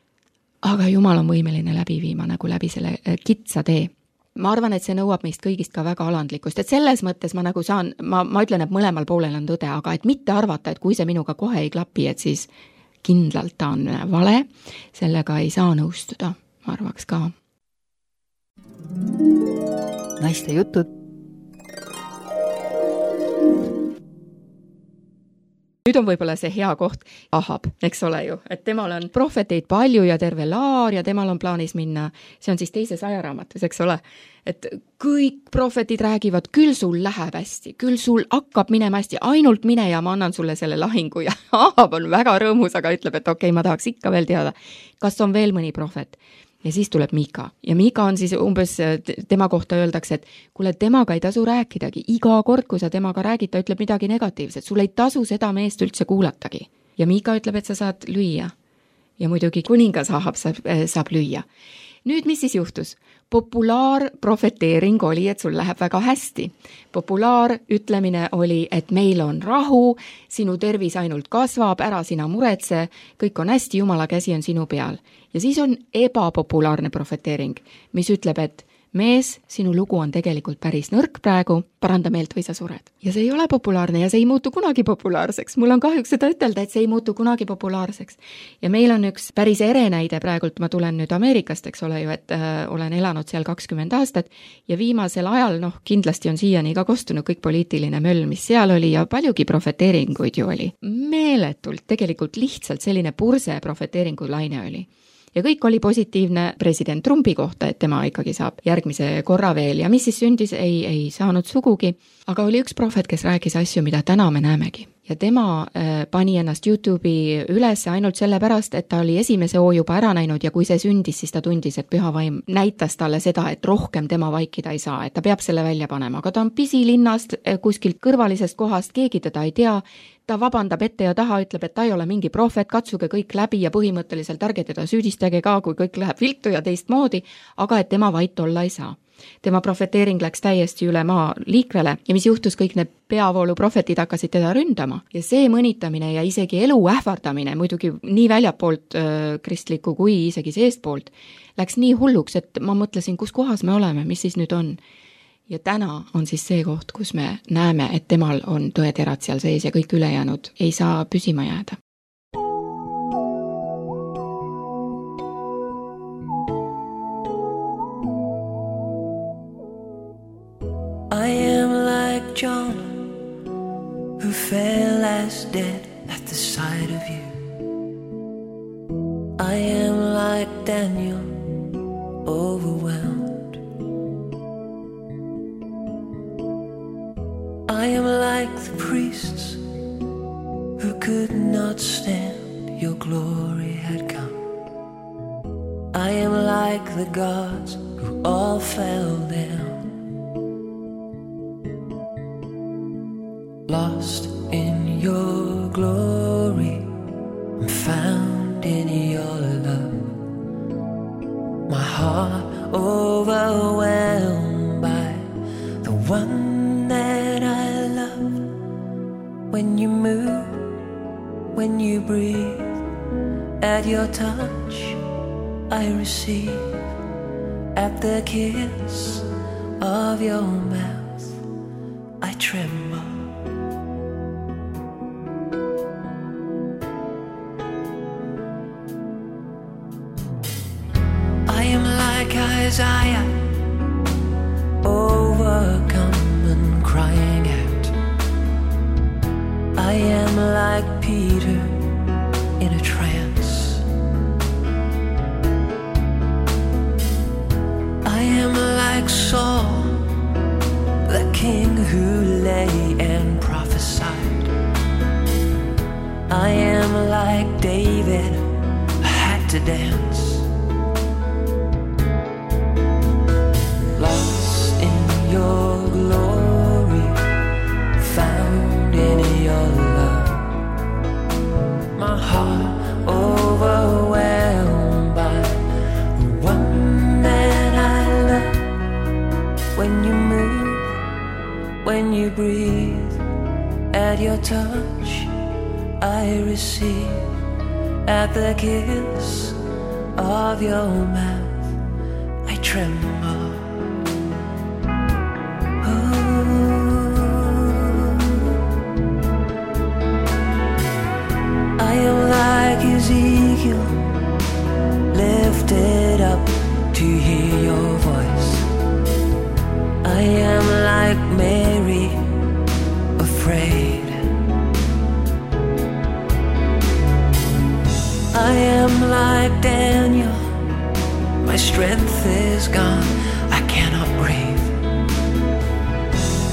Aga Jumal on võimeline läbi viima nagu läbi selle kitsa tee. Ma arvan, et see nõuab meist kõigist ka väga alandlikkust, et selles mõttes ma nagu saan, ma, ma ütlen, et mõlemal poolel on tõde, aga et mitte arvata, et kui see minuga kohe ei klapi, et siis kindlalt ta on vale, sellega ei saa nõustuda. Ma arvaks ka. Naiste jutud. Nüüd on võib-olla see hea koht Ahab, eks ole ju, et temal on profeteid palju ja terve laar ja temal on plaanis minna, see on siis teises ajaraamatus, eks ole, et kõik profetid räägivad, küll sul läheb hästi, küll sul hakkab minema hästi, ainult mine ja ma annan sulle selle lahingu ja Ahab on väga rõõmus, aga ütleb, et okei, okay, ma tahaks ikka veel teada, kas on veel mõni profet. Ja siis tuleb Miika. Ja Miika on siis umbes, tema kohta öeldakse, et kuule, temaga ei tasu rääkidagi. Iga kord, kui sa temaga räägid, ta ütleb midagi negatiivset. Sul ei tasu seda meest üldse kuulatagi. Ja Miika ütleb, et sa saad lüüa. Ja muidugi kuningas Ahab saab, saab lüüa. nüüd, mis siis juhtus? Populaarprofeteering oli, et sul läheb väga hästi. Populaarütlemine oli, et meil on rahu, sinu tervis ainult kasvab, ära sina muretse, kõik on hästi, Jumala käsi on sinu peal. Ja siis on ebapopulaarne profeteering, mis ütleb, et mees, sinu lugu on tegelikult päris nõrk praegu, paranda meelt või sa sured. Ja see ei ole populaarne ja see ei muutu kunagi populaarseks. Mul on kahjuks seda ütelda, et see ei muutu kunagi populaarseks. Ja meil on üks päris ere näide praegult, ma tulen nüüd Ameerikast, eks ole ju, et äh, olen elanud seal kakskümmend aastat ja viimasel ajal, noh, kindlasti on siiani ka kostunud kõik poliitiline möll, mis seal oli ja paljugi profeteeringuid ju oli. Meeletult, tegelikult lihtsalt selline purse profeteeringu laine oli. Ja kõik oli positiivne president Trumpi kohta, et tema ikkagi saab järgmise korra veel ja mis siis sündis, ei, ei saanud sugugi. Aga oli üks prohvet, kes rääkis asju, mida täna me näemegi. Ja tema äh, pani ennast YouTube'i üles ainult sellepärast, et ta oli esimese hoo juba ära näinud ja kui see sündis, siis ta tundis, et püha vaim näitas talle seda, et rohkem tema vaikida ei saa, et ta peab selle välja panema. Aga ta on pisilinnast, kuskilt kõrvalisest kohast, keegi teda ei tea, ta vabandab ette ja taha, ütleb, et ta ei ole mingi prohvet, katsuge kõik läbi ja põhimõtteliselt ärge teda süüdistage ka, kui kõik läheb viltu ja teistmoodi, aga et tema vait olla ei saa. Tema profeteering läks täiesti üle maa liikvele ja mis juhtus, kõik need peavoolu profetid hakkasid teda ründama ja see mõnitamine ja isegi elu ähvardamine, muidugi nii väljapoolt äh, kristliku kui isegi seestpoolt, läks nii hulluks, et ma mõtlesin, kus kohas me oleme, mis siis nüüd on. Ja täna on siis see koht, kus me näeme, et temal on tõeterad seal sees ja kõik ülejäänud ei saa püsima jääda. I am like Jonah, who fell as dead at the sight of you. I am like Daniel, overwhelmed. I am like the priests who could not stand, your glory had come. I am like the gods who all fell down. Lost in your glory, I'm found in your love. My heart overwhelmed by the one that I love. When you move, when you breathe, at your touch I receive. At the kiss of your mouth I tremble. Isaiah, overcome and crying out. I am like Peter in a trance. I am like Saul, the king who lay and prophesied. I am like David, I had to dance. Lost in your glory, found in your love. My heart overwhelmed by the one that I love. When you move, when you breathe, at your touch I receive. At the kiss of your mouth I tremble. Ezekiel, lifted up to hear your voice. I am like Mary, afraid. I am like Daniel, my strength is gone, I cannot breathe.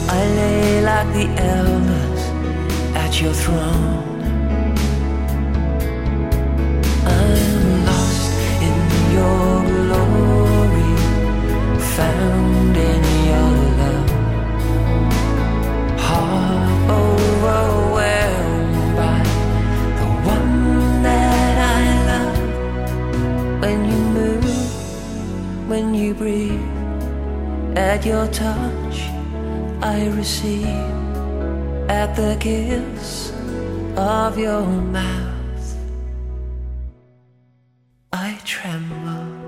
I lay like the elders at your throne. Your glory, found in your love. Heart overwhelmed by the one that I love. When you move, touch I receive, at the kiss of your mouth I tremble.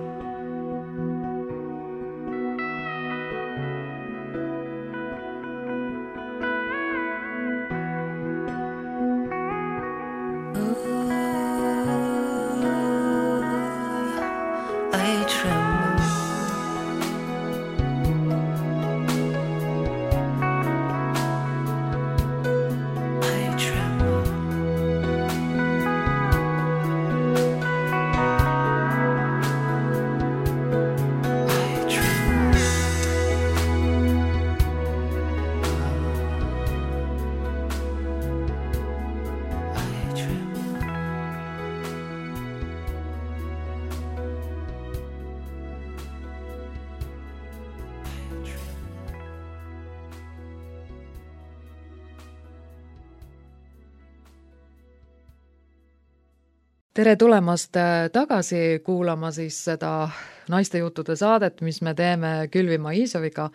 Tere tulemast tagasi kuulama siis seda naiste juttude saadet, mis me teeme Külvi Maisoviga.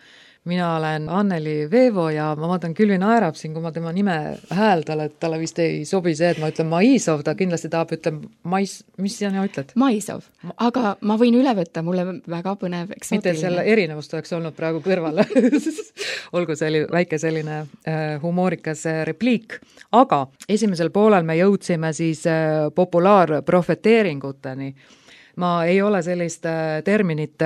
Mina olen Anneli Veevo ja ma vaatan, Külvi naerab siin, kui ma tema nime hääldan, et talle vist ei sobi see, et ma ütlen Maisov, ta kindlasti tahab ütlema Mais, mis sina ütled? Maisov, aga ma võin üle võtta, mulle väga põnev eksootiline. Mitte selle erinevust oleks olnud praegu kõrval. Olgu see oli väike selline äh, humoorikas repliik. Aga esimesel poolel me jõudsime siis äh, populaarprofeteeringuteni. Ma ei ole sellist terminit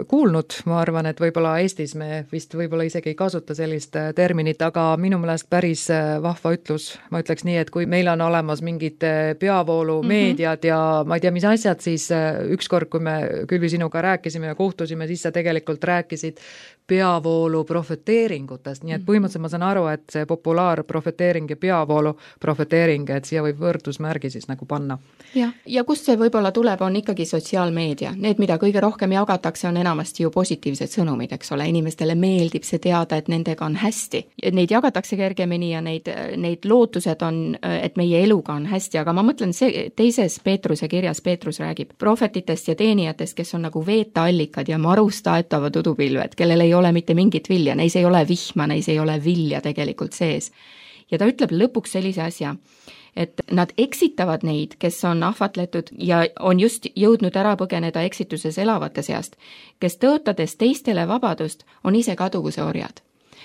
kuulnud, ma arvan, et võib-olla Eestis me vist võib-olla isegi ei kasuta sellist terminit, aga minu meelest päris vahva ütlus. Ma ütleks nii, et kui meil on olemas mingid peavoolu meediad ja ma ei tea, mis asjad, siis ükskord, kui me Külvi sinuga rääkisime ja kohtusime, siis sa tegelikult rääkisid peavoolu profeteeringutest, nii et põhimõtteliselt ma saan aru, et see populaarprofeteering ja peavoolu profeteering, et siia võib võrdusmärgi siis nagu panna. Ja, ja kust see võib-olla tuleb, on ikkagi sotsiaalmeedia. Need, mida kõige rohkem jagatakse, on enamasti ju positiivsed sõnumid, eks ole. Inimestele meeldib see teada, et nendega on hästi. Neid jagatakse kergemini ja neid, neid lootused on, et meie eluga on hästi, aga ma mõtlen, see teises Peetruse kirjas Peetrus räägib profetitest ja teenijatest, kes on nagu veetaallikad ja marust aetavad udupilved, kellel ei ole mitte mingit vilja, neis ei ole vihma, neis ei ole vilja tegelikult sees. Ja ta ütleb lõpuks sellise asja, et nad eksitavad neid, kes on ahvatletud ja on just jõudnud ära põgeneda eksituses elavate seast, kes tõotades teistele vabadust, on ise kaduvuse orjad.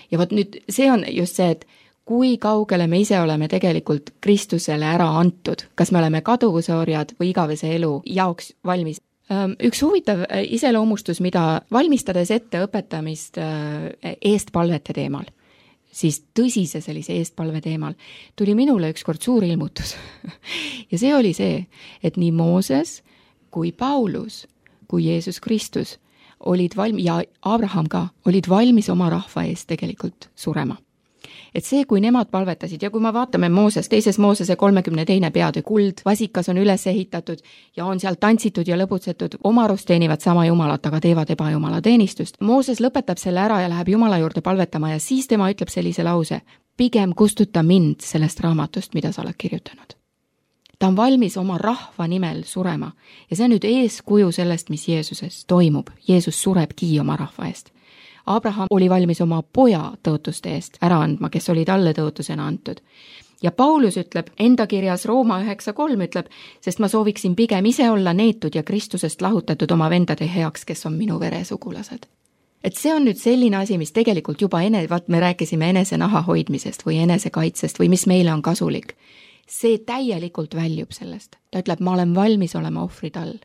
Ja võt nüüd see on just see, et kui kaugele me ise oleme tegelikult Kristusele ära antud, kas me oleme kaduvuse orjad või igavese elu jaoks valmis. Üks huvitav iseloomustus, mida valmistades ette õpetamist eestpalvete teemal, siis tõsise sellise eestpalve teemal, tuli minule ükskord suur ilmutus. Ja see oli see, et nii Mooses kui Paulus, kui Jeesus Kristus olid valmis, ja Abraham ka, olid valmis oma rahva eest tegelikult surema. Et see, kui nemad palvetasid ja kui ma vaatame Mooses, teises Moosese kolmekümne teine peade kuld, vasikas on üles ehitatud ja on seal tantsitud ja lõbutsetud, omarust teenivad sama jumalat, aga teevad ebajumala teenistust. Mooses lõpetab selle ära ja läheb Jumala juurde palvetama ja siis tema ütleb sellise lause, pigem kustuta mind sellest raamatust, mida sa oled kirjutanud. Ta on valmis oma rahva nimel surema ja see on nüüd eeskuju sellest, mis Jeesuses toimub. Jeesus surebki oma rahva eest. Abraham oli valmis oma poja tõotuste eest ära andma, kes oli talle tõotusena antud. Ja Paulus ütleb, enda kirjas Rooma üheksa kolm ütleb, sest ma sooviksin pigem ise olla neetud ja Kristusest lahutatud oma vendade heaks, kes on minu veresugulased. Et see on nüüd selline asi, mis tegelikult juba ene, vaat me rääkisime enese naha hoidmisest või enese kaitsest või mis meile on kasulik. See täielikult väljub sellest. Ta ütleb, ma olen valmis olema ohvrid all,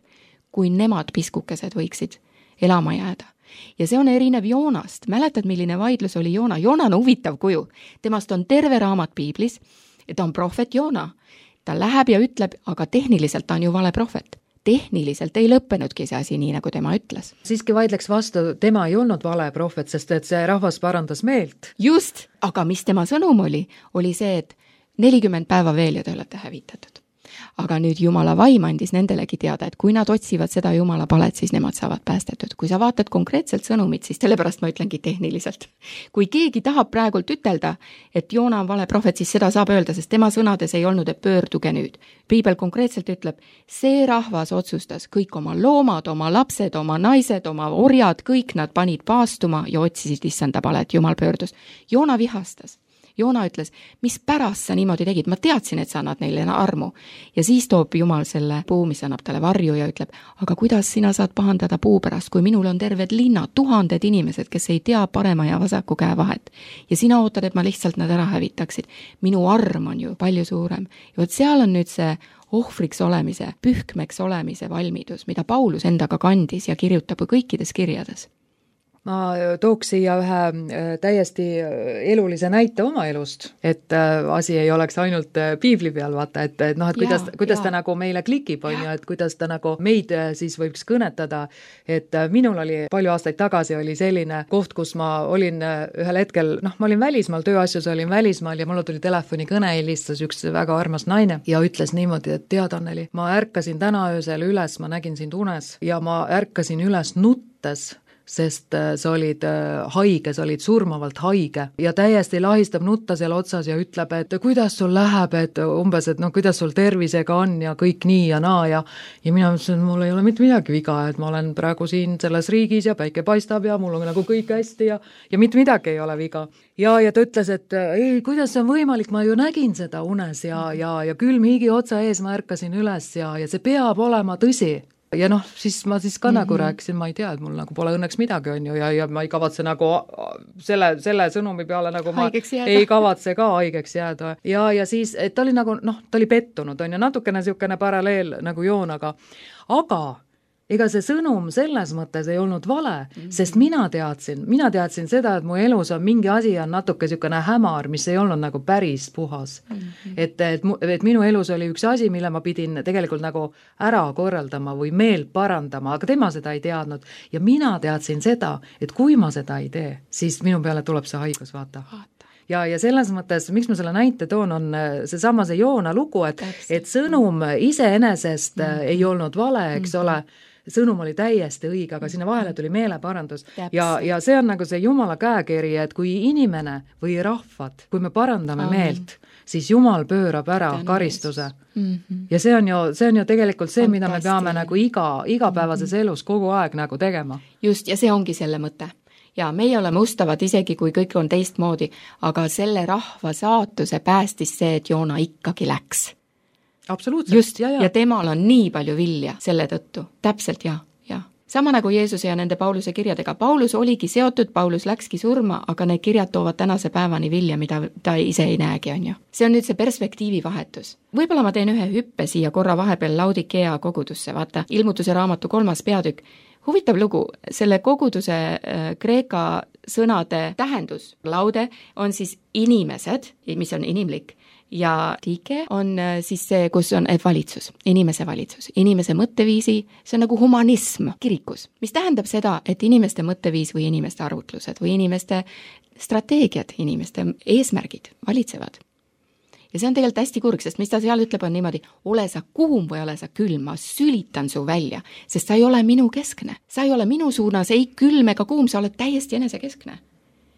kui nemad piskukesed võiksid elama jääda. Ja see on erinev Joonast. Mäletad, milline vaidlus oli Joona? Joona on huvitav kuju. Temast on terve raamat piiblis. Ta on prohvet Joona. Ta läheb ja ütleb, aga tehniliselt ta on ju vale prohvet. Tehniliselt ei lõppenudki see asi nii, nagu tema ütles. Siiski vaidleks vastu, tema ei olnud vale prohvet, sest et see rahvas parandas meelt. Just, aga mis tema sõnum oli, oli see, et nelikümmend päeva veel ja te olete hävitatud. aga nüüd Jumala vaim andis nendelegi teada, et kui nad otsivad seda Jumala palet, siis nemad saavad päästetud. Kui sa vaatad konkreetselt sõnumit, siis sellepärast ma ütlengi tehniliselt. Kui keegi tahab praegult ütelda, et Joona on vale prohvet, siis seda saab öelda, sest tema sõnades ei olnud, et pöörduge nüüd. Piibel konkreetselt ütleb, see rahvas otsustas, kõik oma loomad, oma lapsed, oma naised, oma orjad, kõik nad panid paastuma ja otsisid issanda palet, Jumal pöördus. Joona vihastas. Joona ütles, mis pärast sa niimoodi tegid, ma teadsin, et sa annad neile armu. Ja siis toob Jumal selle puu, mis annab talle varju ja ütleb, aga kuidas sina saad pahandada puu pärast, kui minul on terved linnad, tuhanded inimesed, kes ei tea parema ja vasaku käe vahet. Ja sina ootad, et ma lihtsalt nad ära hävitaksid. Minu arm on ju palju suurem. Ja võt seal on nüüd see ohvriks olemise, pühkmeks olemise valmidus, mida Paulus endaga kandis ja kirjutab kõikides kirjades. Ma tooks siia ühe täiesti elulise näite oma elust, et asi ei oleks ainult piibli peal, vaata, et, et noh, et kuidas, ja, kuidas ja. ta nagu meile klikib, on ju, et kuidas ta nagu meid siis võiks kõnetada, et minul oli palju aastaid tagasi oli selline koht, kus ma olin ühel hetkel, noh, ma olin välismaal, tööasjus olin välismaal ja mulle tuli telefonikõne, helistas üks väga armas naine ja ütles niimoodi, et tead, Anneli, ma ärkasin täna öösel üles, ma nägin sind unes ja ma ärkasin üles nuttes, sest sa olid haige, sa olid surmavalt haige ja täiesti lahistab nutta seal otsas ja ütleb, et kuidas sul läheb, et umbes, et noh, kuidas sul tervisega on ja kõik nii ja naa ja ja mina mõtlesin, et mul ei ole mitte midagi viga, et ma olen praegu siin selles riigis ja päike paistab ja mul on nagu kõik hästi ja, ja mitte midagi ei ole viga. Ja, ja ta ütles, et ei, kuidas see on võimalik, ma ju nägin seda unes ja, ja, ja külm higi otsa ees ma ärkasin üles ja, ja see peab olema tõsi. Ja noh, siis ma siis ka mm-hmm. nagu rääkisin, ma ei tea, et mul nagu pole õnneks midagi on ju ja, ja ma ei kavatse nagu selle, selle sõnumi peale nagu ma ei kavatse ka haigeks jääda. Ja, ja siis, et ta oli nagu, noh, ta oli pettunud on ja natukene niisugune paralleel nagu Joonaga. Aga ega see sõnum selles mõttes ei olnud vale, mm-hmm. sest mina teadsin, mina teadsin seda, et mu elus on mingi asi on natuke niisugune hämar, mis ei olnud nagu päris puhas. Mm-hmm. Et, et, et minu elus oli üks asi, mille ma pidin tegelikult nagu ära korraldama või meelt parandama, aga tema seda ei teadnud. Ja mina teadsin seda, et kui ma seda ei tee, siis minu peale tuleb see haigus, vaata. Ja, ja selles mõttes, miks ma selle näite toon, on see sama see Joona lugu, et, et sõnum iseenesest mm-hmm. ei olnud vale, eks mm-hmm. ole, sõnum oli täiesti õige, aga sinna vahele tuli meeleparandus. Ja, ja see on nagu see Jumala käekiri, et kui inimene või rahvad, kui me parandame Amen. Meelt, siis Jumal pöörab ära Tänu karistuse. Mm-hmm. Ja see on ju, see on ju tegelikult see, mida me peame nagu iga, igapäevases mm-hmm. elus kogu aeg nagu tegema. Just, ja see ongi selle mõte. Ja meie oleme ustavad isegi, kui kõik on teistmoodi, aga selle rahva saatuse päästis see, et Joona ikkagi läks. Absoluutselt. Just, ja, ja. ja temal on nii palju vilja selle tõttu. Täpselt, ja, ja. Sama nagu Jeesuse ja nende Pauluse kirjadega. Paulus oligi seotud, Paulus läkski surma, aga need kirjad toovad tänase päevani vilja, mida ta ise ei näegi, on ju. See on nüüd see perspektiivi vahetus. Võib-olla ma teen ühe hüppe siia korra vahepeal Laudikea kogudusse, vaata, ilmutuse raamatu kolmas peatükk. Huvitav lugu, selle koguduse äh, kreeka sõnade tähendus, laude, on siis inimesed, mis on inimlik, ja tike on siis see, kus on valitsus, inimese valitsus, inimese mõtteviisi, see on nagu humanism kirikus, mis tähendab seda, et inimeste mõtteviis või inimeste arvutlused või inimeste strateegiad, inimeste eesmärgid valitsevad. Ja see on tegelikult hästi kurg, sest mis ta seal ütleb on niimoodi, ole sa kuum või ole sa külm, ma sülitan su välja, sest sa ei ole minu keskne. Sa ei ole minu suunas, ei külm ega kuum, sa oled täiesti enesekeskne.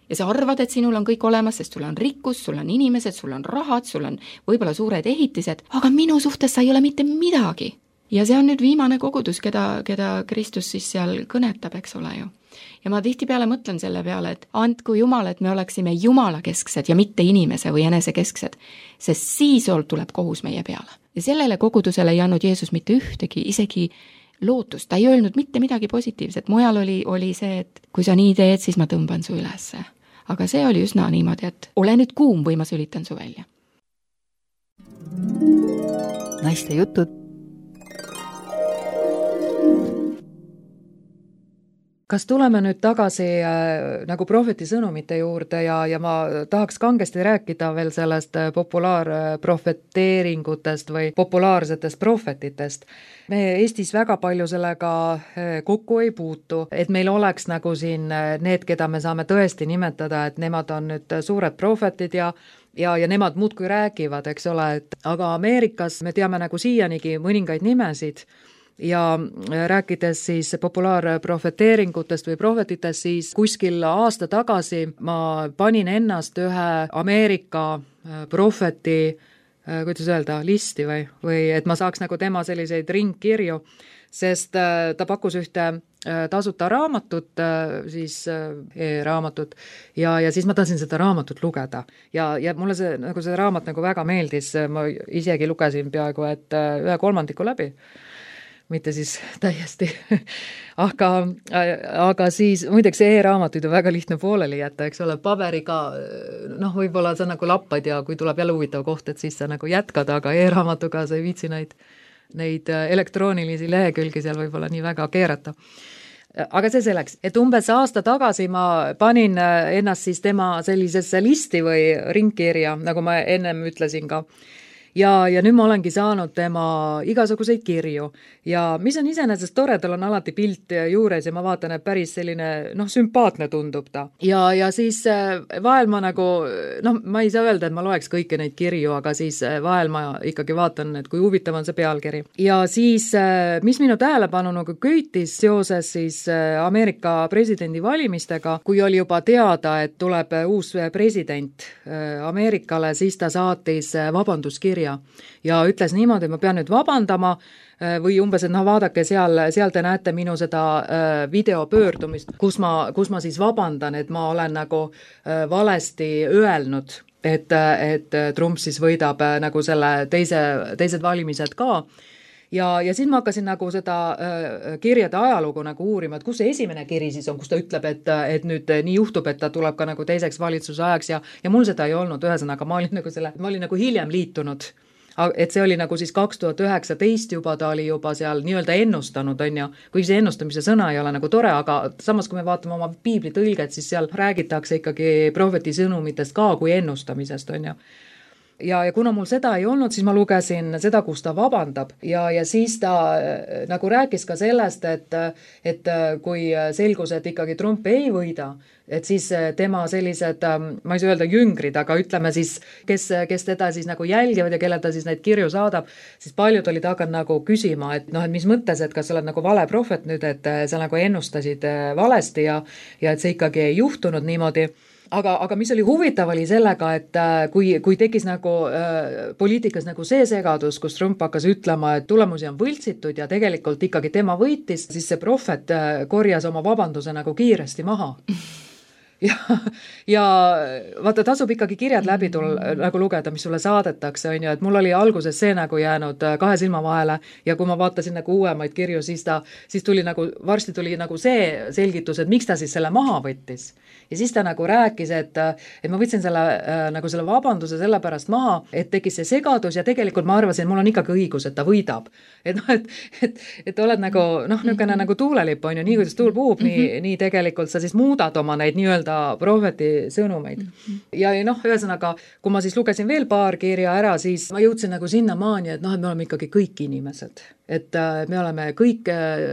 Ja sa arvad, et sinul on kõik olemas, sest sul on rikkus, sul on inimesed, sul on rahad, sul on võib-olla suured ehitised, aga minu suhtes sa ei ole mitte midagi. Ja see on nüüd viimane kogudus, keda, keda Kristus siis seal kõnetab, eks ole ju. Ja ma tihtipeale mõtlen selle peale, et andku Jumal, et me oleksime Jumala kesksed ja mitte inimese või enese kesksed, sest siis tuleb kohus meie peale. Ja sellele kogudusele ei andnud Jeesus mitte ühtegi, isegi lootust, ta ei öelnud mitte midagi positiivset, mujal oli, oli see, et kui sa nii teed, siis ma tõmban su ülesse. Aga see oli üsna niimoodi, et ole nüüd kuum või ma sülitan su välja. Naiste jutud kas tuleme nüüd tagasi äh, nagu prohveti sõnumite juurde ja, ja ma tahaks kangesti rääkida veel sellest populaarprohveteeringutest või populaarsetest prohvetitest. Me Eestis väga palju sellega kokku ei puutu, et meil oleks nagu siin need, keda me saame tõesti nimetada, et nemad on nüüd suured prohvetid ja ja, ja nemad muudkui räägivad, eks ole, et aga Ameerikas me teame nagu siianigi mõningaid nimesid ja rääkides siis populaarprohveteeringutest või prohvetitest, siis kuskil aasta tagasi ma panin ennast ühe Ameerika prohveti, kuidas öelda, listi või, või et ma saaks nagu tema selliseid ringkirju, sest ta pakkus ühte tasuta raamatut, siis e-raamatut ja, ja siis ma tahtsin seda raamatut lugeda ja, ja mulle see, nagu see raamat nagu väga meeldis, ma isegi lugesin peaaegu, et ühe kolmandiku läbi, mitte siis täiesti, aga, aga siis muideks e-raamatuid on väga lihtne pooleli jätta, eks ole, paberiga, noh, võib-olla sa nagu lappad ja kui tuleb jälle huvitav koht, et siis sa nagu jätkad, aga e-raamatuga sa ei viitsi neid, neid elektroonilisi lehekülgi seal võib-olla nii väga keerata. Aga see selleks, et umbes aasta tagasi ma panin ennast siis tema sellisesse listi või ringkirja, nagu ma ennem ütlesin ka. Ja, ja nüüd ma olengi saanud tema igasuguseid kirju ja mis on iseenesest tore, tal on alati pilt juures ja ma vaatan, et päris selline, noh, sümpaatne tundub ta. Ja, ja siis vahel ma nagu, noh, ma ei saa öelda, et ma loeks kõiki neid kirju, aga siis vahel ma ikkagi vaatan, et kui huvitav on see pealkiri. Ja siis, mis minu tähelepanu nagu köitis seoses siis Ameerika presidendi valimistega, kui oli juba teada, et tuleb uus president Ameerikale, siis ta saatis vabanduskirja ja ütles niimoodi, et ma pean nüüd vabandama või umbes, et noh, vaadake seal, seal te näete minu seda videopöördumist, kus ma, kus ma siis vabandan, et ma olen nagu valesti öelnud, et, et Trump siis võidab nagu selle teise, teised valimised ka. Ja, ja siis ma hakkasin nagu seda äh, kirjade ajalugu nagu uurima, et kus see esimene kiri siis on, kus ta ütleb, et, et nüüd nii juhtub, et ta tuleb ka nagu teiseks valitsuse ajaks ja, ja mul seda ei olnud, ühesõnaga ma olin nagu selle, ma olin nagu hiljem liitunud, et see oli nagu siis kaks tuhat üheksateist juba, ta oli juba seal nii-öelda ennustanud, on ju, kui see ennustamise sõna ei ole nagu tore, aga samas kui me vaatame oma piibli tõlget, siis seal räägitakse ikkagi prohveti sõnumitest ka kui ennustamisest, on ju. Ja, ja kuna mul seda ei olnud, siis ma lugesin seda, kus ta vabandab ja, ja siis ta nagu rääkis ka sellest, et, et kui selgus, et ikkagi Trump ei võida, et siis tema sellised, ma ei saa öelda jüngrid, aga ütleme siis, kes, kes teda siis nagu jälgivad ja kelle ta siis neid kirju saadab, siis paljud olid hakanud nagu küsima, et noh, et mis mõttes, et kas sa oled nagu vale prohvet nüüd, et sa nagu ennustasid valesti ja, ja et see ikkagi ei juhtunud niimoodi. Aga, aga mis oli huvitav oli sellega, et kui, kui tekkis nagu äh, poliitikas nagu see segadus, kus Trump hakkas ütlema, et tulemusi on võltsitud ja tegelikult ikkagi tema võitis, siis see prohvet äh, korjas oma vabanduse nagu kiiresti maha. Ja, ja vaata, tasub ikkagi kirjad läbi tul, nagu lugeda, mis sulle saadetakse, on ju, et mul oli alguses see nagu jäänud kahe silma vahele ja kui ma vaatasin nagu uuemaid kirju, siis ta, siis tuli nagu, varsti tuli nagu see selgitus, et miks ta siis selle maha võttis. Ja siis ta nagu rääkis, et, et ma võtsin selle, nagu selle vabanduse selle pärast maha, et tekkis see segadus ja tegelikult ma arvasin, et mul on ikkagi õigus, et ta võidab. Et noh, et, et, et oled nagu, noh, niisugune nagu tuulelipp on ju, nii kuidas tuul puhub, nii, nii tegelikult sa siis muudad oma neid nii-öelda prohveti sõnumeid. Ja noh, ühesõnaga, kui ma siis lugesin veel paar kirja ära, siis ma jõudsin nagu sinna maani, et noh, et me oleme ikkagi kõik inimesed. Et me oleme kõik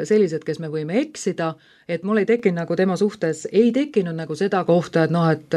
sellised, kes me võime eksida, et mul ei tekkinud nagu tema suhtes, ei tekkinud nagu seda kohta, et noh, et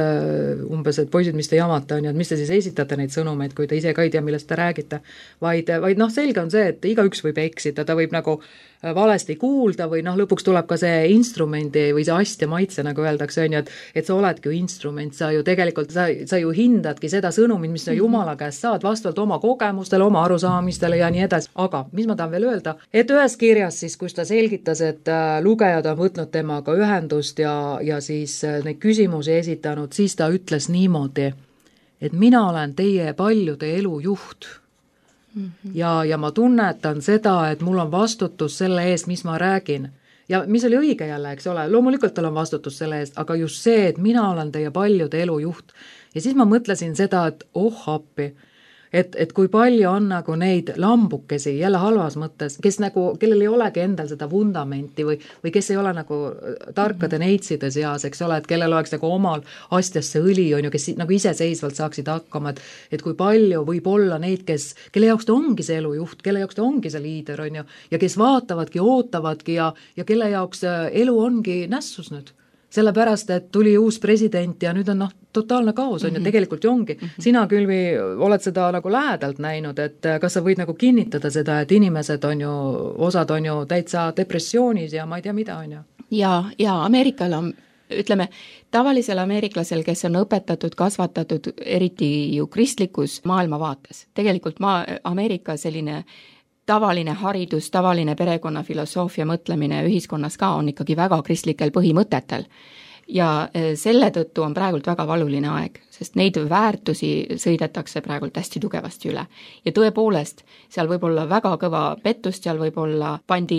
umbes, et poisid, mis te jamate on ja et mis te siis esitate neid sõnumeid, kui te ise ka ei tea, millest te räägite, vaid, vaid noh, selge on see, et igaüks võib eksida, ta võib nagu valesti kuulda või noh, lõpuks tuleb ka see instrumendi või see astja maitse, nagu öeldakse, on ju, et, et sa oledki ju instrument, sa ju tegelikult, sa, sa ju hindadki seda sõnumit, mis sa Jumala käest saad vastavalt oma kogemustele, oma arusaamistele ja nii edasi. Aga mis ma tahan veel öelda, et ühes kirjas siis, kus ta selgitas, et lugejad on võtnud temaga ühendust ja, ja siis neid küsimusi esitanud, siis ta ütles niimoodi, et mina olen teie paljude elu juht. Ja, ja ma tunnetan seda, et mul on vastutus selle eest, mis ma räägin. Ja mis oli õige jälle, eks ole, loomulikult tal on vastutus selle eest, aga just see, et mina olen teie paljude elu juht. Ja siis ma mõtlesin seda, et oh appi, et, et kui palju on nagu neid lambukesi, jälle halvas mõttes, kes nagu, kellel ei olegi endal seda vundamenti või, või kes ei ole nagu tarkade neitside seas, eks ole, et kellel oleks nagu omal astjasse õli, on ju, kes nagu iseseisvalt saaksid hakkama, et, et kui palju võib olla neid, kes, kelle jaoks ta ongi see elujuht, kelle jaoks ta ongi see liider, on ju, ja kes vaatavadki, ootavadki ja, ja kelle jaoks elu ongi nässus nüüd. Sellepärast, et tuli uus president ja nüüd on noh, totaalne kaos on mm-hmm. ju, tegelikult ju ongi. Mm-hmm. Sina, Külvi, oled seda nagu lähedalt näinud, et kas sa võid nagu kinnitada seda, et inimesed on ju, osad on ju täitsa depressioonis ja ma ei tea mida on ju? Ja, ja Ameerikal on, ütleme, tavalisel ameeriklasel, kes on õpetatud, kasvatatud, eriti ju kristlikus maailmavaates. Tegelikult ma, Ameerika selline tavaline haridus, tavaline perekonna filosoofia mõtlemine ühiskonnas ka on ikkagi väga kristlikel põhimõtetel. Ja selle tõttu on praegult väga valuline aeg, sest neid väärtusi sõidetakse praegult hästi tugevasti üle. Ja tõepoolest, seal võib olla väga kõva pettust, seal võib olla pandi,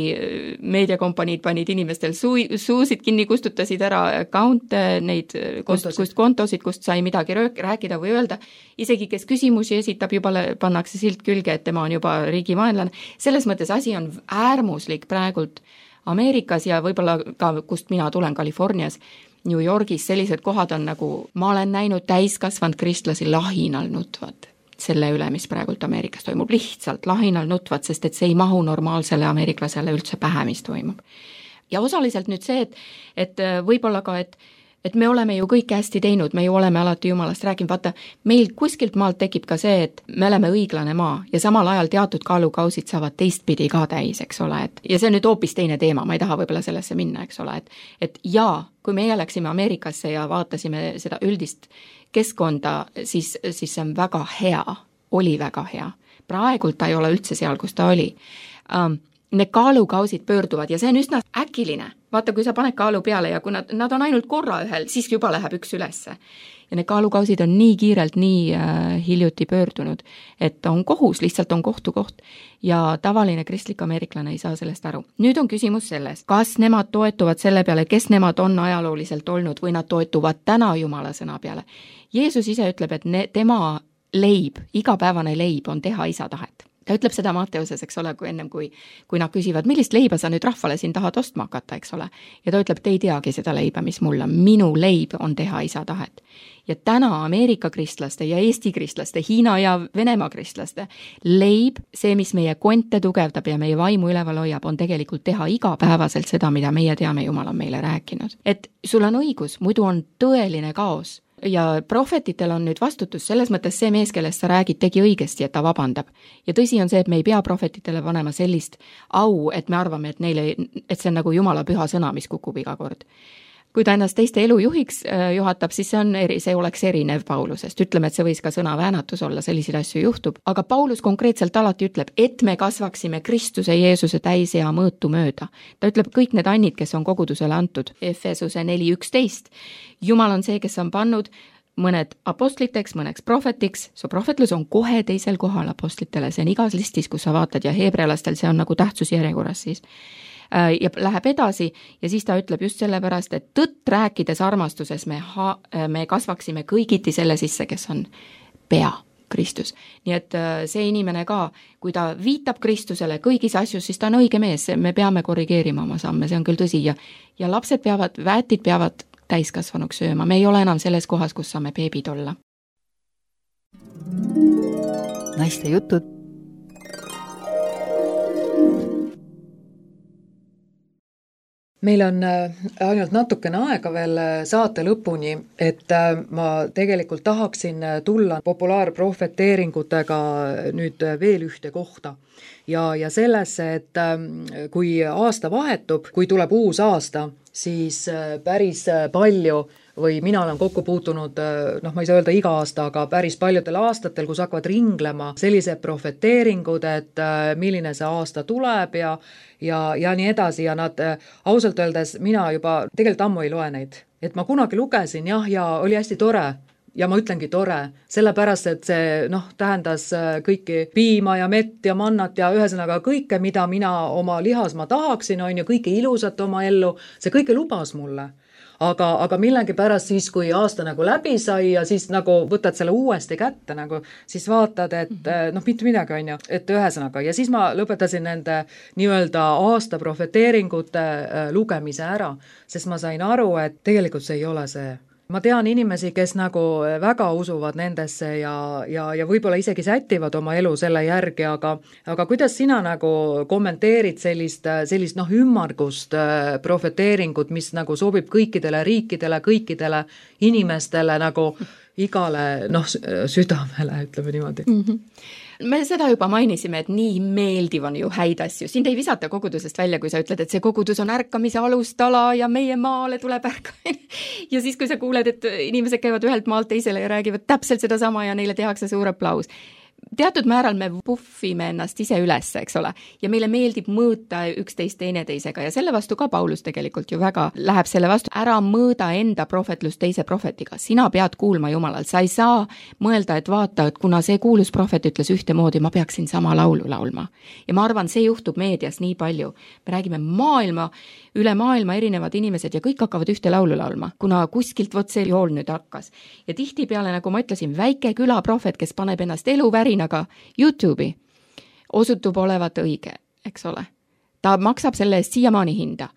meediakompaniid panid inimestel suu, suusid kinni, kustutasid ära account'e, neid kust, kust kontosid, kust sai midagi rääkida või öelda. Isegi kes küsimusi esitab, juba pannakse silt külge, et tema on juba riigivaenlane. Selles mõttes asi on äärmuslik praegult Ameerikas ja võib-olla ka, kust mina tulen, Californias, New Yorgis sellised kohad on nagu, ma olen näinud täiskasvanud kristlasi lahinal nutvad selle üle, mis praegult Ameerikas toimub, lihtsalt lahinal nutvad, sest et see ei mahu normaalsele ameeriklasele üldse pähe, mis toimub. Ja osaliselt nüüd see, et, et võib-olla ka, et et me oleme ju kõike hästi teinud, me ju oleme alati Jumalast rääkinud, vaata, meil kuskilt maalt tekib ka see, et me oleme õiglane maa ja samal ajal teatud kaalukausid saavad teistpidi ka täis, eks ole, et ja see on nüüd hoopis teine teema, ma ei taha võib-olla sellesse minna, eks ole, et, et jaa, kui meie läksime Ameerikasse ja vaatasime seda üldist keskkonda, siis, siis see on väga hea, oli väga hea. Praegult ta ei ole üldse seal, kus ta oli. Um, need kaalukausid pöörduvad ja see on üsna äkiline. Vaata, kui sa paned kaalu peale ja kui nad, nad on ainult korra ühel, siis juba läheb üks ülesse. Ja need kaalukausid on nii kiirelt, nii äh, hiljuti pöördunud, et on kohus, lihtsalt on kohtukoht. Ja tavaline kristlik ameeriklane ei saa sellest aru. Nüüd on küsimus selles, kas nemad toetuvad selle peale, kes nemad on ajalooliselt olnud või nad toetuvad täna Jumala sõna peale. Jeesus ise ütleb, et ne, tema leib, igapäevane leib on teha isa tahet. Ta ütleb seda Mateuses, eks ole, kui ennem, kui, kui nad küsivad, millist leiba sa nüüd rahvale siin tahad ostma hakata, eks ole. Ja ta ütleb, te ei teagi seda leiba, mis mul on. Minu leib on teha isa tahet. Ja täna Ameerika kristlaste ja Eesti kristlaste, Hiina ja Venemaa kristlaste leib, see, mis meie konte tugevdab ja meie vaimu üleval hoiab, on tegelikult teha igapäevaselt seda, mida meie teame, Jumal on meile rääkinud. Et sul on õigus, muidu on tõeline kaos. Ja prohvetitel on nüüd vastutus, selles mõttes see mees, kellest sa räägid, tegi õigesti, et ta vabandab. Ja tõsi on see, et me ei pea prohvetitele panema sellist au, et me arvame, et, neile, et see on nagu Jumala püha sõna, mis kukub iga kord. Kui ta ennast teiste elu juhiks juhatab, siis see, on eri, see oleks erinev Paulusest. Ütleme, et see võis ka sõna väänatus olla, selliseid asju juhtub. Aga Paulus konkreetselt alati ütleb, et me kasvaksime Kristuse Jeesuse täisea mõõtu mööda. Ta ütleb kõik need annid, kes on kogudusele antud. Efesuse neli üksteist. Jumal on see, kes on pannud mõned apostliteks, mõneks prohvetiks. Su prohvetlus on kohe teisel kohal apostlitele. See on igas listis, kus sa vaatad ja heebrealastel see on nagu tähtsusjärjekorras siis. Ja läheb edasi ja siis ta ütleb just sellepärast, et tõtt rääkides armastuses me, ha, me kasvaksime kõigiti selle sisse, kes on pea, Kristus. Nii et see inimene ka, kui ta viitab Kristusele kõigis asjus, siis ta on õige mees, me peame korrigeerima oma samme, see on küll tõsi ja, ja lapsed peavad, väetid peavad täiskasvanuks sööma, me ei ole enam selles kohas, kus saame beebid olla. Naiste jutud. Meil on ainult natukene aega veel saate lõpuni, et ma tegelikult tahaksin tulla populaarprohveteeringutega nüüd veel ühte kohta. Ja, ja sellesse, et kui aasta vahetub, kui tuleb uus aasta, siis päris palju või mina olen kokku puutunud, noh ma ei saa öelda iga aasta, aga päris paljudel aastatel, kus hakkavad ringlema sellised prohveteeringud, et milline see aasta tuleb ja, ja, ja nii edasi ja nad ausalt öeldes mina juba tegelikult ammu ei loe neid. Et ma kunagi lugesin jah, ja oli hästi tore ja ma ütlengi tore, sellepärast, et see noh, tähendas kõiki piima ja mett ja mannat ja ühesõnaga kõike, mida mina oma lihas ma tahaksin, on ju kõike ilusat oma ellu, see kõike lubas mulle. aga, aga millegipärast siis, kui aasta nagu läbi sai ja siis nagu võtad selle uuesti kätte nagu, siis vaatad, et noh, mitte midagi on ju, et ühesõnaga, ja siis ma lõpetasin nende nii-öelda aasta profeteeringute lugemise ära, sest ma sain aru, et tegelikult see ei ole see. Ma tean inimesi, kes nagu väga usuvad nendesse ja, ja, ja võib-olla isegi sätivad oma elu selle järgi, aga, aga kuidas sina nagu kommenteerid sellist, sellist noh, ümmargust profeteeringut, mis nagu sobib kõikidele riikidele, kõikidele inimestele nagu igale noh, südamele, ütleme niimoodi. Mm-hmm. Me seda juba mainisime, et nii meeldiv on ju häid asju. Sind ei visata kogudusest välja, kui sa ütled, et see kogudus on ärkamise alustala ja meie maale tuleb ärkamine. Ja siis, kui sa kuuled, et inimesed käivad ühelt maalt teisele ja räägivad täpselt seda sama ja neile tehakse suur aplaus. Teatud määral me puffime ennast ise üles, eks ole, ja meile meeldib mõõta üksteist teineteisega ja selle vastu ka Paulus tegelikult ju väga läheb selle vastu. Ära mõõda enda prohvetlust teise prohvetiga, sina pead kuulma Jumalal, sa ei saa mõelda, et vaata, et kuna see kuulus prohvet ütles ühtemoodi, ma peaksin sama laulu laulma. Ja ma arvan, see juhtub meedias nii palju. Me räägime maailma, üle maailma erinevad inimesed ja kõik hakkavad ühte laulu laulma, kuna kuskilt vot see jool nüüd hakkas. Ja tihti peale, nagu ma ütlesin, väike külaprohvet, kes paneb ennast eluvärinaga YouTube'i, osutub olevat õige, eks ole. Ta maksab selle eest siiamaani hinda.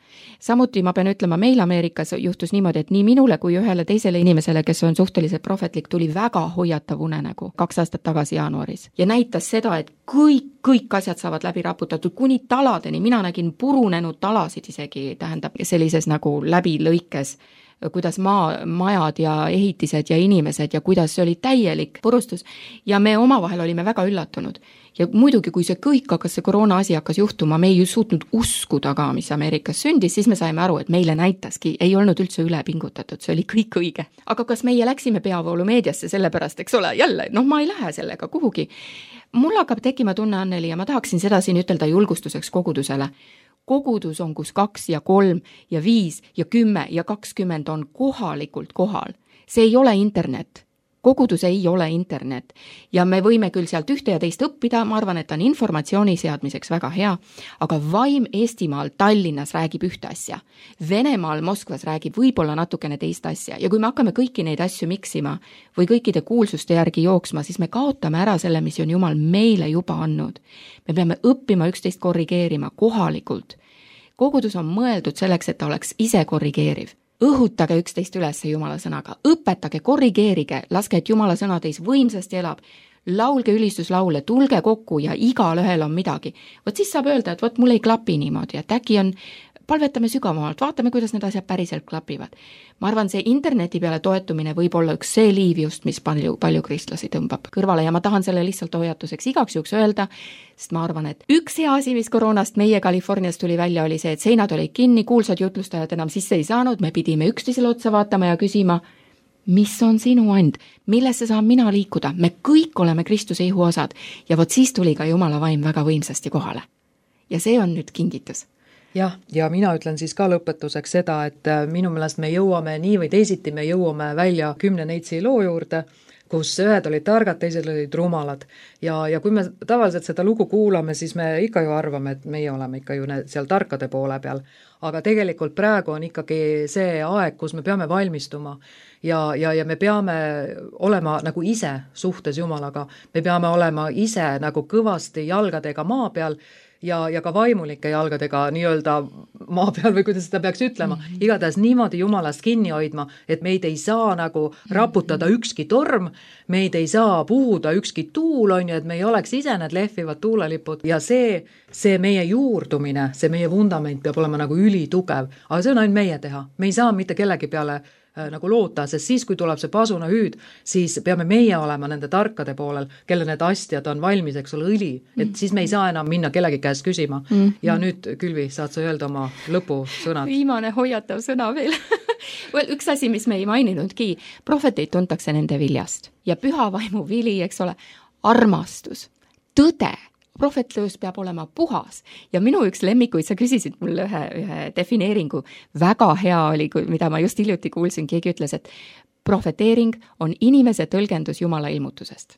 Samuti ma pean ütlema, meil Ameerikas juhtus niimoodi, et nii minule kui ühele teisele inimesele, kes on suhteliselt prohvetlik, tuli väga hoiatav unenägu kaks aastat tagasi jaanuaris. Ja näitas seda, et kõik, kõik asjad saavad läbi raputatud kuni taladeni. Mina nägin purunenud talasid isegi, tähendab sellises nagu läbi lõikes, kuidas maa, majad ja ehitised ja inimesed ja kuidas see oli täielik purustus. Ja me omavahel olime väga üllatunud. Ja muidugi, kui see kõik hakkas, see koroona asi hakkas juhtuma, me ei suutnud uskuda ka, mis Ameerikas sündis, siis me saime aru, et meile näitaski, ei olnud üldse üle pingutatud, see oli kõik õige. Aga kas meie läksime peavoolu meediasse sellepärast, eks ole, jälle, noh, ma ei lähe sellega kuhugi. Mul hakkab tekkima tunne, Anneli, ja ma tahaksin seda siin ütelda julgustuseks kogudusele. Kogudus on, kus kaks ja kolm ja viis ja kümme ja kakskümmend on kohalikult kohal. See ei ole internet. Kogudus ei ole internet ja me võime küll sealt ühte ja teist õppida, ma arvan, et on informatsiooni seadmiseks väga hea, aga vaim Eestimaal Tallinnas räägib ühte asja. Venemaal Moskvas räägib võib-olla natukene teist asja ja kui me hakkame kõiki neid asju miksima või kõikide kuulsuste järgi jooksma, siis me kaotame ära selle, mis on Jumal meile juba andnud. Me peame õppima üksteist korrigeerima kohalikult. Kogudus on mõeldud selleks, et ta oleks ise korrigeeriv. Õhutage üksteist üles Jumala sõnaga, õpetage, korrigeerige, laske, et Jumala sõna teis võimsasti elab, laulge ülistuslaule, tulge kokku ja igal ühel on midagi. Vot siis saab öelda, et vot mul ei klapi niimoodi, et äkki on, palvetame sügavamalt, vaatame, kuidas need asjad päriselt klapivad. Ma arvan, see interneti peale toetumine võib olla üks see liiv just, mis palju, palju kristlasi tõmbab kõrvale ja ma tahan selle lihtsalt hoiatuseks igaks juhuks öelda, sest ma arvan, et üks hea asi, mis koroonast meie Californias tuli välja, oli see, et seinad olid kinni, kuulsad jutlustajad enam sisse ei saanud, me pidime üksteisele otsa vaatama ja küsima, mis on sinu and, millesse saan mina liikuda, me kõik oleme Kristuse ihuosad ja vot siis tuli ka Jumala vaim väga võimsasti kohale. Ja see on nüüd kingitus. Jah, ja mina ütlen siis ka lõpetuseks seda, et minu meelest me jõuame nii või teisiti, me jõuame välja kümne neitsi loo juurde, kus ühed olid targad, teised olid rumalad. Ja, ja kui me tavaliselt seda lugu kuulame, siis me ikka ju arvame, et meie oleme ikka ju seal tarkade poole peal. Aga tegelikult praegu on ikkagi see aeg, kus me peame valmistuma ja, ja, ja me peame olema nagu ise suhtes Jumalaga. Me peame olema ise nagu kõvasti jalgadega maa peal ja, ja ka vaimulike jalgadega nii-öelda maa peal või kuidas seda peaks ütlema. Mm-hmm. Igatahes niimoodi Jumalast kinni hoidma, et meid ei saa nagu raputada ükski torm, meid ei saa puhuda ükski tuul, on ju, et me ei oleks ise need lehvivad tuulelipud ja see, see meie juurdumine, see meie vundament peab olema nagu ülitugev, aga see on ainult meie teha. Me ei saa mitte kellegi peale nagu loota, sest siis, kui tuleb see pasuna hüüd, siis peame meie olema nende tarkade poolel, kelle need astjad on valmis, eks ole, õli, et siis me ei saa enam minna kellegi käest küsima. Mm-hmm. Ja nüüd, Külvi, saad sa öelda oma lõpusõnad? Viimane hoiatav sõna veel. well, üks asi, mis me ei maininudki, prohveteid tuntakse nende viljast ja püha vaimu vili, eks ole, armastus, tõde, prohvetlus peab olema puhas ja minu üks lemmikuid, sa küsisid mulle ühe, ühe defineeringu, väga hea oli, mida ma just hiljuti kuulsin, keegi ütles, et prohveteering on inimese tõlgendus Jumala ilmutusest.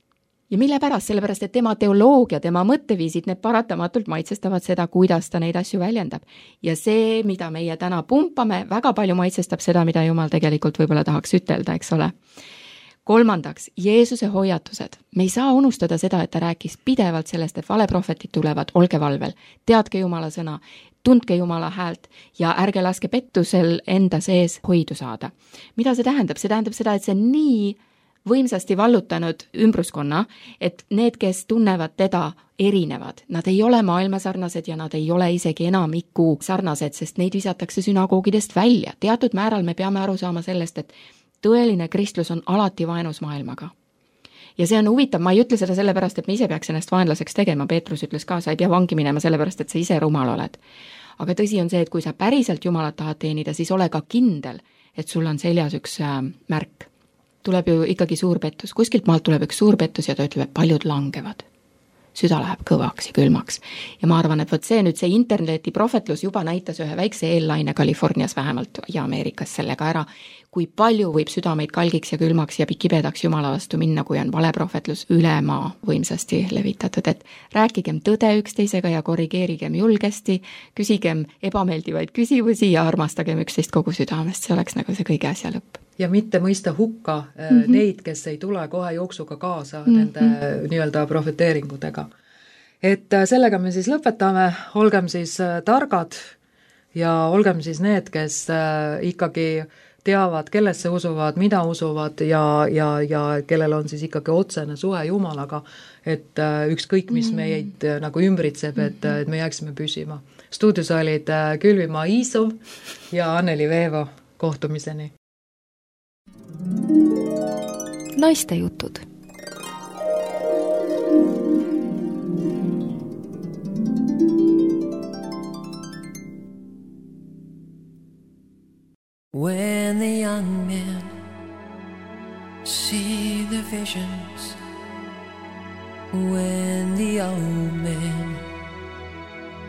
ja mille pärast? Sellepärast, et tema teoloogia, tema mõtteviisid, need paratamatult maitsestavad seda, kuidas ta neid asju väljendab. Ja see, mida meie täna pumpame, väga palju maitsestab seda, mida Jumal tegelikult võib-olla tahaks ütelda, eks ole. Kolmandaks, Jeesuse hoiatused. Me ei saa unustada seda, et ta rääkis pidevalt sellest, et valeprohvetid tulevad, olge valvel, teadke Jumala sõna, tundke Jumala häält ja ärge laske pettusel enda sees hoidu saada. Mida see tähendab? See tähendab seda, et see on nii võimsasti vallutanud ümbruskonna, et need, kes tunnevad teda, erinevad. Nad ei ole maailmasarnased ja nad ei ole isegi enamiku sarnased, sest neid visatakse sünagoogidest välja. Teatud määral me peame aru saama sellest, et tõeline kristlus on alati vaenus maailmaga. Ja see on huvitav, ma ei ütle seda sellepärast, et me ise peaks ennast vaenlaseks tegema, Peetrus ütles ka, sa ei pea vangi minema sellepärast, et sa ise rumal oled. Aga tõsi on see, et kui sa päriselt Jumalat tahad teenida, siis ole ka kindel, et sul on seljas üks äh, märk. Tuleb ju ikkagi suur pettus, kuskilt maalt tuleb üks suur pettus ja ta ütleb, et paljud langevad. Süda läheb kõvaks ja külmaks. Ja ma arvan, et võt see nüüd see interneti prohvetlus juba näitas ühe väikse eellaine Californias vähemalt ja Ameerikas sellega ära, kui palju võib südameid kalgiks ja külmaks ja kibedaks Jumala vastu minna, kui on valeprohvetlus üle maa võimsasti levitatud, et rääkigem tõde üksteisega ja korrigeerigem julgesti, küsigem ebameeldivaid küsimusi ja armastagem üksteist kogu südamest, see oleks nagu see kõige asja lõpp. Ja mitte mõista hukka mm-hmm. neid, kes ei tule kohe jooksuga kaasa mm-hmm. nende nii-öelda profeteeringutega. Et sellega me siis lõpetame, olgem siis targad ja olgem siis need, kes ikkagi teavad, kellesse usuvad, mida usuvad ja, ja, ja kellel on siis ikkagi otsene suhe Jumalaga, et ükskõik, mis meid nagu ümbritseb, et, et me jääksime püsima. Stuudios olid Külvimaa Iisov ja Anneli Veevo, kohtumiseni. Naiste jutud. When the young men see the visions, when the old men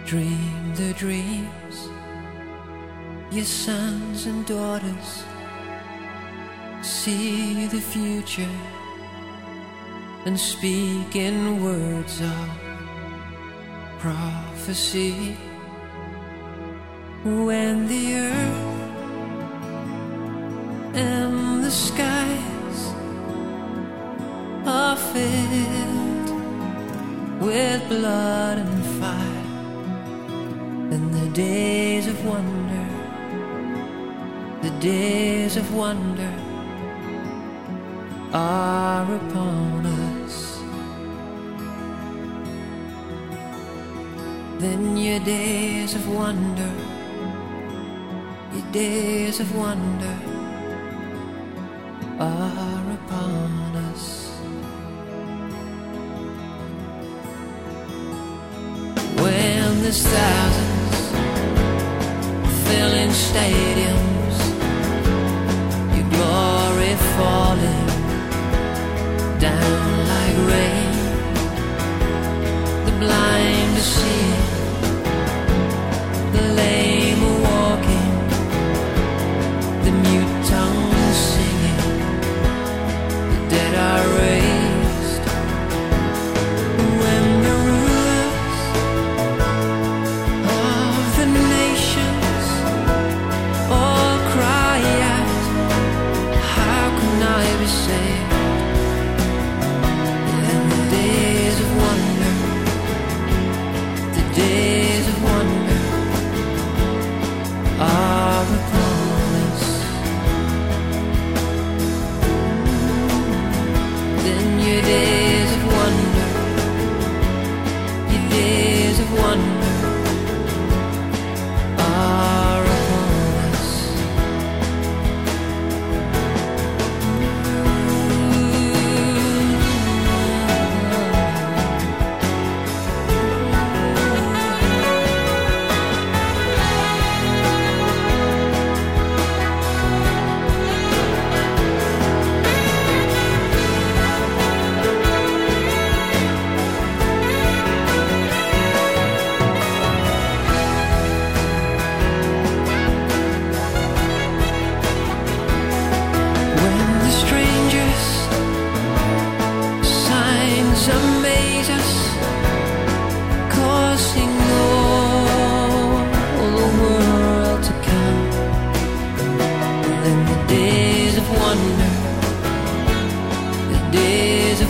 dream the dreams, your sons and daughters see the future and speak in words of prophecy. When the earth and the skies are filled with blood and fire, and the days of wonder, the days of wonder are upon us, then your days of wonder, your days of wonder are upon us. When there's thousands filling stadiums, your glory falling down like rain, the blind to see, the lame are walking, the mute tongues singing, the dead are raised. When the rulers of the nations all cry out, how can I be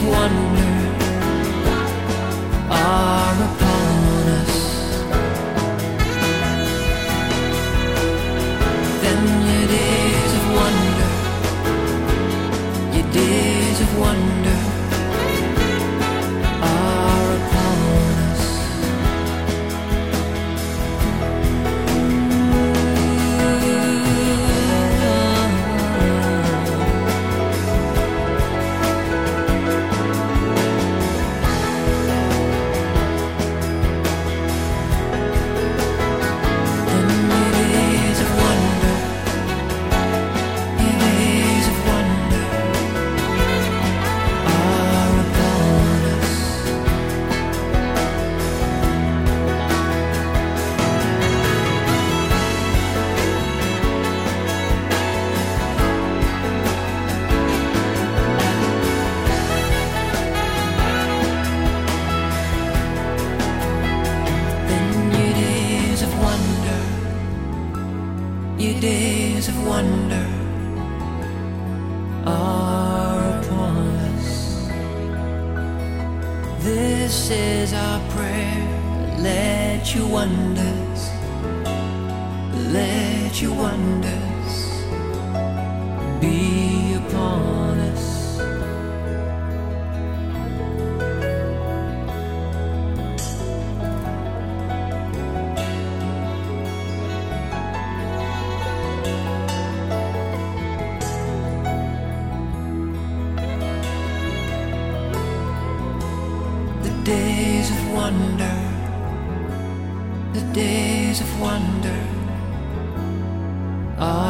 of wonder are upon us. Then your days of wonder, your days of wonder are upon us. Your days of wonder are upon us. This is our prayer. Let your wonders, let your wonders be upon us. The days of wonder, the days of wonder are